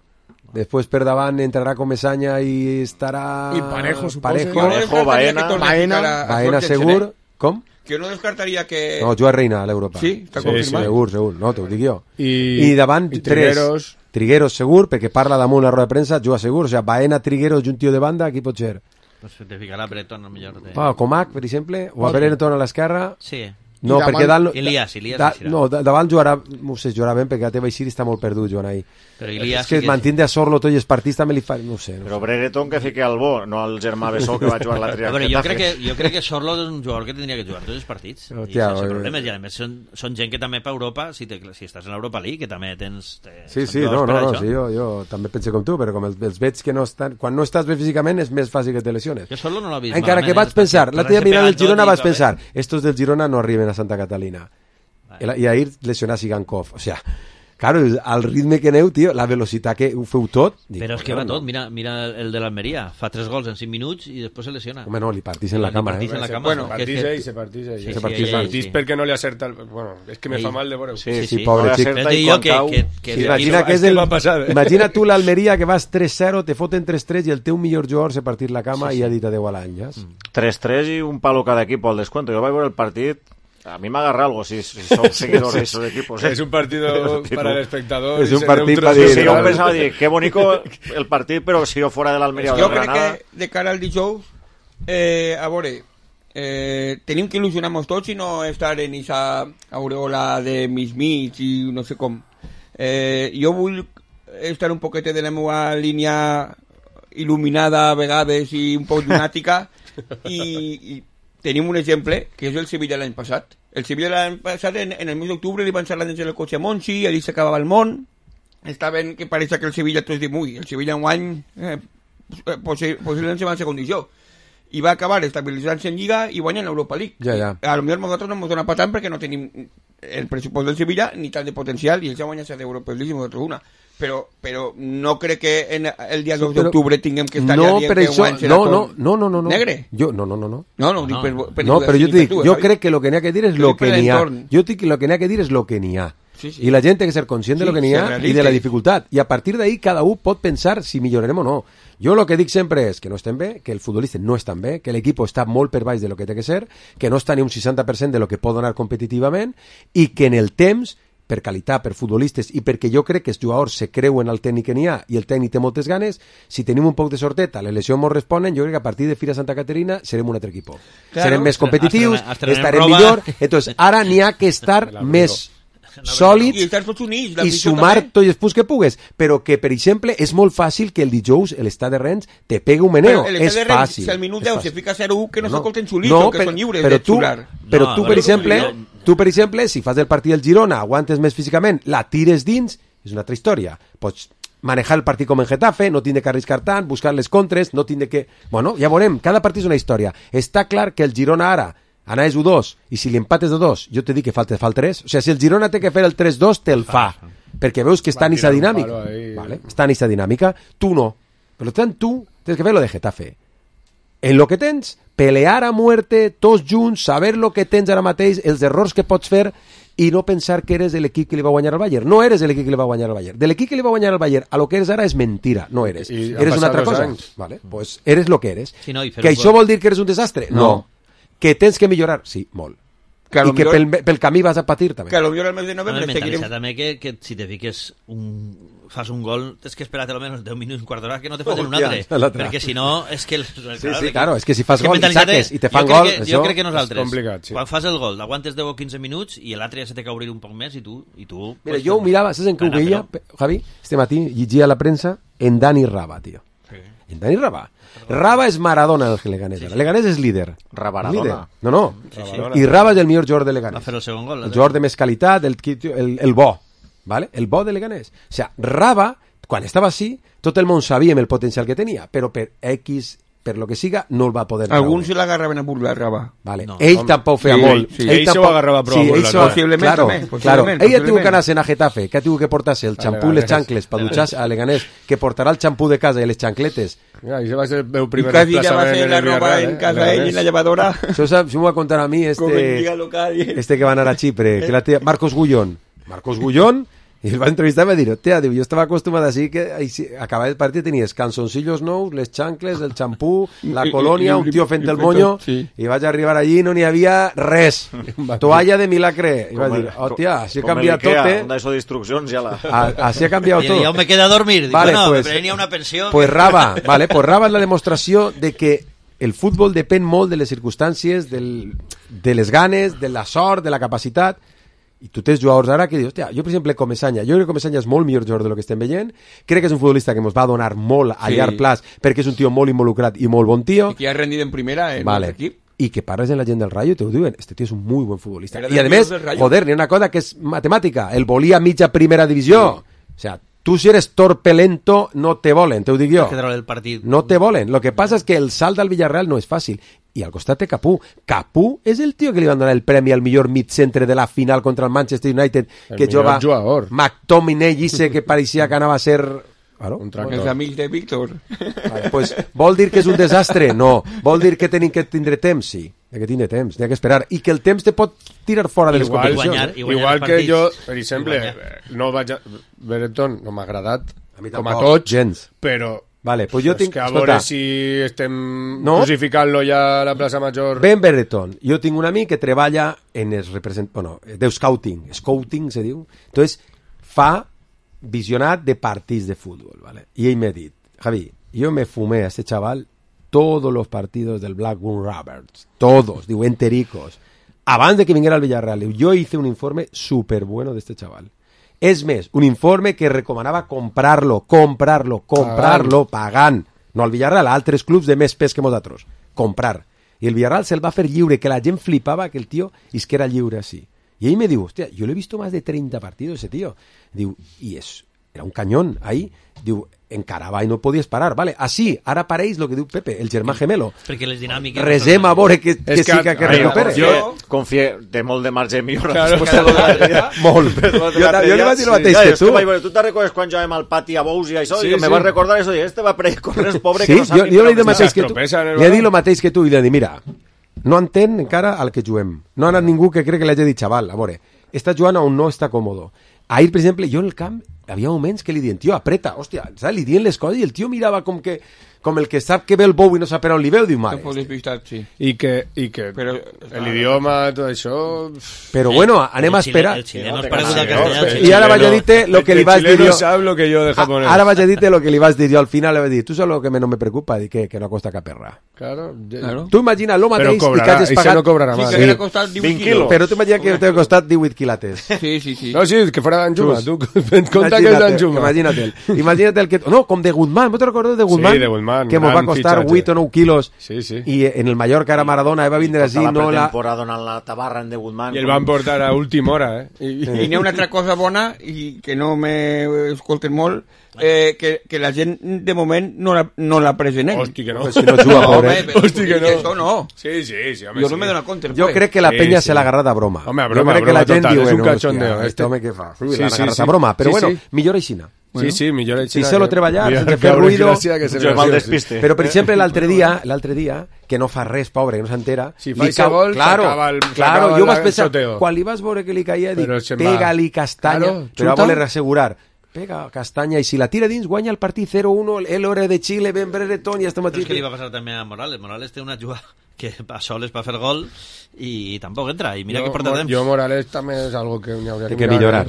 després per davant entrarà Comesaña i estarà... I Parejo, suposo. Baena segur. Com? Que no descartaria que... No, juga Reina a l'Europa. Sí, està confirmat. Segur, no, t'ho dic jo. I davant Trigueros. Trigueros segur, perquè parla damunt la roda de premsa, juga segur, o sigui, Baena, Trigueros i un tio de banda, qui pot ser? Pues te ficarà Breton, el millor de... Comac, per exemple, o a Breton a l'esquerra. Sí. No, perquè dalt... Elias no, davant jugarà, no sé, jugarà ben, perquè a teva Isiri està molt perdut jugant ahí. Però Elias... És que mantindre a Sorlo tots els partits també li fa... No sé. Però Brereton que fiqui al bo, no al germà Bessó que va jugar l'altre dia. Jo crec que Sorlo és un jugador que tindria que jugar tots els partits. I sense problemes. I a més són gent que també per Europa, si estàs en l'Europa League, que també tens... Sí, jo també penso com tu, però com els veig que no estan... Quan no estàs bé físicament és més fàcil que te lesiones. Jo Sorlo no l'he vist encara que vaig pensar, l'altre dia mirant el Girona vaig pensar, estos del Girona no arriben a Santa Catalina. I ahir lesionar Sigankov, o sea, claro, al ritme que aneu, tio, la velocitat que ho feu tot... Però és que va tot, mira el de l'Almeria, fa 3 gols en 5 minuts i després se lesiona. Home, no, li partís en la cama, Bueno, se partís perquè no li acerta... Bueno, és que me fa mal de veure. Sí, pobre xic. Imagina tu l'Almeria que vas 3-0, te foten 3-3 i el teu millor jugador se partís la cama i ha dit adeu a l'any, ja? 3-3 i un palo cada equip al descuento. Jo vaig veure el partit... A mí me agarra algo si son seguidores de esos equipos. Es un partido para el espectador. Es un partido para dir. Sí, yo pensaba, qué bonito el partido, pero si yo fuera de l'Almeria o de Granada... Jo crec que de cara al dijous, a veure, tenim que il·lusionar-nos tots i no estar en aquesta aureola de mig i no sé com. Jo vull estar un poquet de la meva línia il·luminada a vegades i un poc llunàtica i tenim un exemple, que és el Sevilla l'any passat. El Sevilla l'any passat, en el mes d'octubre, li van ser l'any del cotxe a Monchi, allí s'acabava el món, estaven que pareix que el Sevilla tots diuen, el Sevilla en guany possiblement se va en condició. I va acabar estabilitzant-se en Lliga i guanyant l'Europa League. A lo millor nosaltres no ens dona per tant perquè no tenim el pressupost del Sevilla ni tant de potencial i ells ja guanyen la d'Europa League i nosaltres una. Però no crec que el dia 2 d'octubre tinguem que estar allà dient que guany serà no. Negre? No, però jo dic, jo crec que lo que n'hi ha que dir és lo que n'hi ha. Jo dic que lo que n'hi ha que dir és lo que n'hi ha. I la gent té que ser conscient de lo que n'hi ha i de la dificultat. I a partir d'ahí cada un pot pensar si millorarem o no. Jo lo que dic sempre és que no estem bé, que el futbolista no està bé, que l'equip està molt per baix de lo que té que ser, que no està ni un 60% de lo que pot donar competitivament i que en el temps per qualitat, per futbolistes i perquè jo crec que els jugadors se creuen el tècnic que n'hi ha i el tècnic té moltes ganes, si tenim un poc de sorteta, les lesions ens responen, jo crec que a partir de Fira Santa Caterina serem un altre equip. Serem més competitius, estarem millor, entonces ara n'hi ha que estar més sòlids i sumar tots els punts que pugues, però que per exemple és molt fàcil que el dijous l'estat de Rennes te pegue un meneo, és fàcil. Si al minut 10 se fica 0-1 que no s'acolten xulito, que són lliures de xular. Però tu per exemple, si fas el partit del Girona, aguantes més físicament, la tires dins, és una altra història. Pots manejar el partit com en Getafe, no tindre que arriscar tant, buscar les contres, no tindre que... Bueno, ja veurem, cada partit és una història. Està clar que el Girona ara anaves 1-2, i si li empates de 2, jo te dic que falta 3. O sigui, si el Girona té que fer el 3-2, te'l fa. Perquè veus que està en aquesta dinàmica. Està en aquesta dinàmica. Tu no. Per tant, tu tens que fer lo de Getafe. En lo que tens, pelear a muerte, tots junts, saber lo que tens ara mateix, els errors que pots fer, i no pensar que eres l'equip que li va guanyar al Bayern. No eres l'equip que li va guanyar al Bayern. De l'equip que li va guanyar al Bayern a lo que eres ara és mentira. No eres. Eres una altra cosa. Vale? Pues eres lo que eres. Sí, no, que això vol dir que eres un desastre? No. Que tens que millorar? Sí, molt. I que pel camí vas a patir també. Que a lo millor al mes de novembre seguirem... També que si te fiques fas un gol, tens que esperar almenys 10 minuts, un quart d'hora que no te facin un altre, perquè si no és que... Sí, claro, és que si fas gol i saques i te fan gol, jo crec que nosaltres, quan fas el gol, aguantes 10 o 15 minuts i l'altre ja se té que obrir un poc més i tu... Mira, jo ho mirava, saps en què ho veia, Javi? Este matí llegia a la premsa en Dani Raba, tio. En Dani Raba. Raba és Maradona del Leganés. El Leganés és líder. Rabaradona. No. I Raba és el millor jugador de Leganés. Va fer el segon gol. El jugador de més qualitat, el bo. ¿Vale? El bo de Leganés. O sea, Raba, quan estava així, tot el món sabíem el potencial que tenia, però per X per lo que siga, no el va poder Alguns se l'agarraven a burlar-rava. Vale. Ell tampoc feia molt. Ell se ho agarrava prou a burlar. Possiblement també. Claro. Ell ha tingut que anar-se a Getafe, que ha tingut que portar-se el xampú i les xancles per dutxar-se a Leganés, que portarà el xampú de casa i les xancletes. I se va ser el meu primer desplaçament. I quasi ja va fer la roba en casa ell i la llevadora. Això m'ho va contar a mi este que va anar a Xipre, que la tia Marcos Gullón, i el va entrevistar i va dir, hòstia, jo estava acostumat així que acabava el partit tenies canzoncillos nous, les xancles, el xampú, la colònia, un tio fent el moño, i vaig arribar allí i no n'hi havia res, toalla de milagre, i va dir, hòstia, així ha canviat tot, d'això d'instruccions ja la... Així ha canviat tot. I jo me quedé a dormir, dic, vale, bueno, pues, me prenia una pensió. Pues Raba és la demostració de que el futbol depèn molt de les circumstàncies, de les ganes, de la sort, de la capacitat. I tu tens jugadors ara que dius, hòstia, jo per exemple Comesaña, jo crec que Comesaña és molt millor jugador de lo que estem veient, crec que és un futbolista que ens va donar molt a llarg plaç perquè és un tio molt involucrat i molt bon tio. I que ha rendit en primera en l'equip. I que parles en la gent del Rayo i te ho diuen, este tio és un muy buen futbolista. I a més, joder, n'hi ha una cosa que és matemàtica, el volia mitja primera divisió. O sea, tu si eres torpe lento no te volen, te ho dic jo. No te volen. Lo que passa és que el salt al Villarreal no és fàcil. I al costat té Capú. Capú és el tio que li van donar el premi al millor mid-centre de la final contra el Manchester United, que jugava McTominay, que pareixia que anava a ser... Claro. Els amics de Víctor. Vale, pues, vol dir que és un desastre? No. Vol dir que tenim que tindre temps? Sí. Que tindre temps, n'hi ha que esperar. I que el temps te pot tirar fora de les competicions. Igual que jo, per exemple, no vaig a... Benetton no m'ha agradat, com a tots, gens. Però... Vale, pues jo tinc... que a veure si estem crucificant-lo ja a la plaça Major... Ben Benetton. Jo tinc un amic que treballa en el de scouting. Scouting se diu. Entonces, fa visionat de partits de fútbol, ¿vale? Y ell m'ha dit, Javi, yo me fumé a este chaval todos los partidos del Blackburn Rovers. Todos, digo, entericos. Abans de que viniera al Villarreal. Yo hice un informe súper bueno de este chaval. És més, un informe que recomanava comprarlo, pagant. No al Villarreal, a altres clubs de més pes que nosaltres. Comprar. I el Villarreal se'l va fer lliure, que la gent flipava que el tio és que era lliure així. I ell me diu, hòstia, jo l'he vist más de 30 partidos ese tío. Diu, i era un cañón ahí. Diu, encarava i no podies parar, vale? Així, ara pareix el que diu Pepe, el germà gemelo. Perquè les dinàmiques... Resem a veure que sí que recupere. Jo confio de molt de marge millor. Molt. Jo li vaig dir el mateix que tu. Tu te'n recordes quan jugàvem al pati a Bous i això? I me vas recordar això, i este va per córrer, pobre, que no sap ni... Jo li he dit el mateix que tu. Li he dit el mateix que tu i li he dit, mira, no entén encara al que juguem. No ha anat ningú que crec que li hagi dit, xaval, a veure, està jugant on no està còmodo. Ahir, per exemple, jo en el camp havia moments que li diuen, tio, apreta, hòstia, saps? Li diuen les coses i el tio mirava com el que sap que ve el bou i no sap per on li veu, diu, mare. I que l'idioma, tot això... Però bueno, anem a esperar. El xileno és paregut al castellà. I ara vaig a dir-te lo que li vaig dir jo. El xileno sap lo que jo de japonès. Ara vaig a dir-te lo que li vaig dir jo al final, li vaig dir, tu saps lo que no me preocupa, que no costa cap perra. Claro. Tu imagina lo mateix i que hagis pagat... Però no cobrarà más. Sí, que costat 20 quilos. Però tu imagina que t'ha costat 18 quilates. Sí. No, sí, que fuera d'Anjuma. Tu compta que és d'Anjuma. Imagina't el que... No, com de Guzmán, ¿no te recordes de Guzmán? Sí, de Guzmán. Que mos va costar 8 o 9 quilos. Sí. I en el Mallorca era Maradona, va vindre així, no la... temporada donant la tabarra en de Guzmán. I el van portar a última hora, I n'hi ha una altra cosa bona, i que no m'escolten molt, que la gent de moment no la pres en ell. Hosti, que no. Pues si no juga, pobre. Hosti, que no. Això no. Sí, home, jo no me dono compte. Jo crec que la penya se l'ha agarrat a broma. Home, a broma, jo crec que la gent diu, és un cachondeo. Este home què fa? L'han agarrat a broma. Però bueno, millor aixina. Sí, millor aixina. Si se lo treballar, sense fer ruido... Però, per exemple, l'altre dia, que no fa res, pobre, que no s'entera... Si fa aquest gol, s'acaba el Claro, jo vaig pensar, quan li vas veure que li caia, dic, pega-li castanya, però va voler assegurar. Pega castanya i si la tira dins guanya el partit 0-1 el hora de Chile, Ben Brereton i este matí. Però és que li va passar també a Morales. Morales té una jugada que a soles va fer gol i tampoc entra, i mira que porta temps. Jo Morales també és algo que hauria que millorar.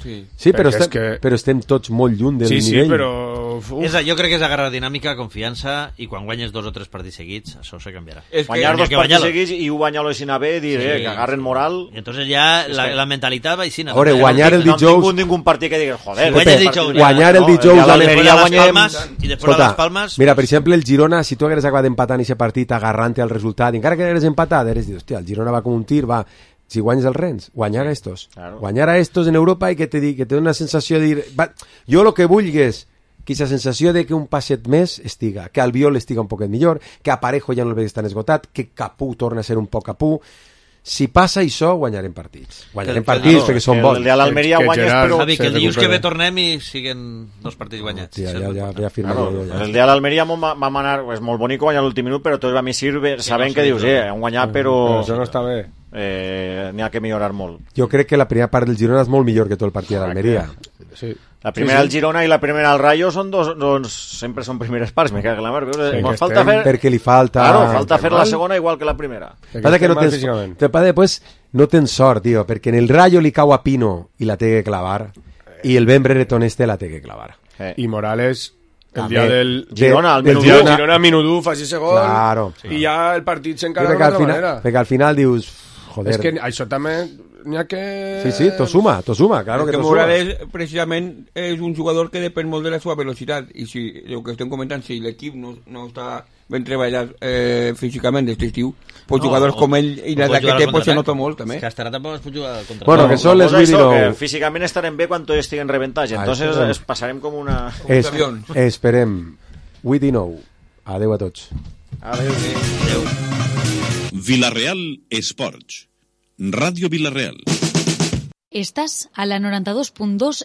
Sí, però estem tots molt lluny del nivell. Sí, però... Jo crec que és agarrar dinàmica, confiança, i quan guanyes 2 o 3 partits seguits, això se canviarà. Guanyar 2 partits seguits i guanyar-lo aixina bé, dir que agarren moral... I entonces ja la mentalitat va aixina. Veure, guanyar el dijous... No tinc ningú partit que digui, joder... Guanyar el dijous... I després a les Palmes... Mira, per exemple, el Girona, si tu hagueres acabat empatant aquest partit agarrant-te al resultat, encara que hagueres empatat, hagueres dit, hòstia, el Girona va com un tir, va... Si guanyes el Rennes, guanyar a estos. Claro. Guanyar a estos en Europa i que te dona una sensació de dir... Jo el que vull és aquesta sensació de que un passet més estiga, que Albiol estiga un poquet millor, que a Parejo ja no el veig tan esgotat, que Capú torna a ser un poc Capú. Si passa això, guanyarem partits. Guanyarem partits perquè són bons. El de l'Almeria guanyes, però... Javi, que el dilluns que ve tornem i siguen 2 partits guanyats. Ja firmaré. El de l'Almeria va manar, és molt bonic guanyar l'últim minut, però tot a mi sirve, sabent que dius, han guanyat, però... Això no està bé. N'hi ha que millorar molt. Jo crec que la primera part del Girona és molt millor que tot el partit de l'Almeria. Sí. La primera al Girona i la primera al Rayo són sempre són primeres parts, me cago en la mar. Falta fer... Perquè li falta... Claro, falta fer la segona igual que la primera. Passa que no tens... No tens sort, tio, perquè en el Rayo li cau a Pino i la té que clavar, i el Ben Brereton la té que clavar. I Morales... El dia del Girona, al Minudú fa 6 gols, claro. I ja el partit s'encara d'una altra manera. Perquè al final dius, joder... És que això també n'hi ha que... Sí, t'ho suma, claro que t'ho suma. Morales, precisament, és un jugador que depèn molt de la seva velocitat, i si el que estem comentant, si l'equip no està ben treballat físicament d'aquest estiu, pues jugadors com ell i l'edat que té se nota molt, també. Que estarà tampoc es pot jugar contra... Bueno, que són les 8:09. Que físicament estarem bé quan tots estiguen rebentats, entonces passarem com una... Esperem. 8:09. Adeu a tots. Adeu. Vilareal Esports. Ràdio Vilareal. Estàs a la 92.2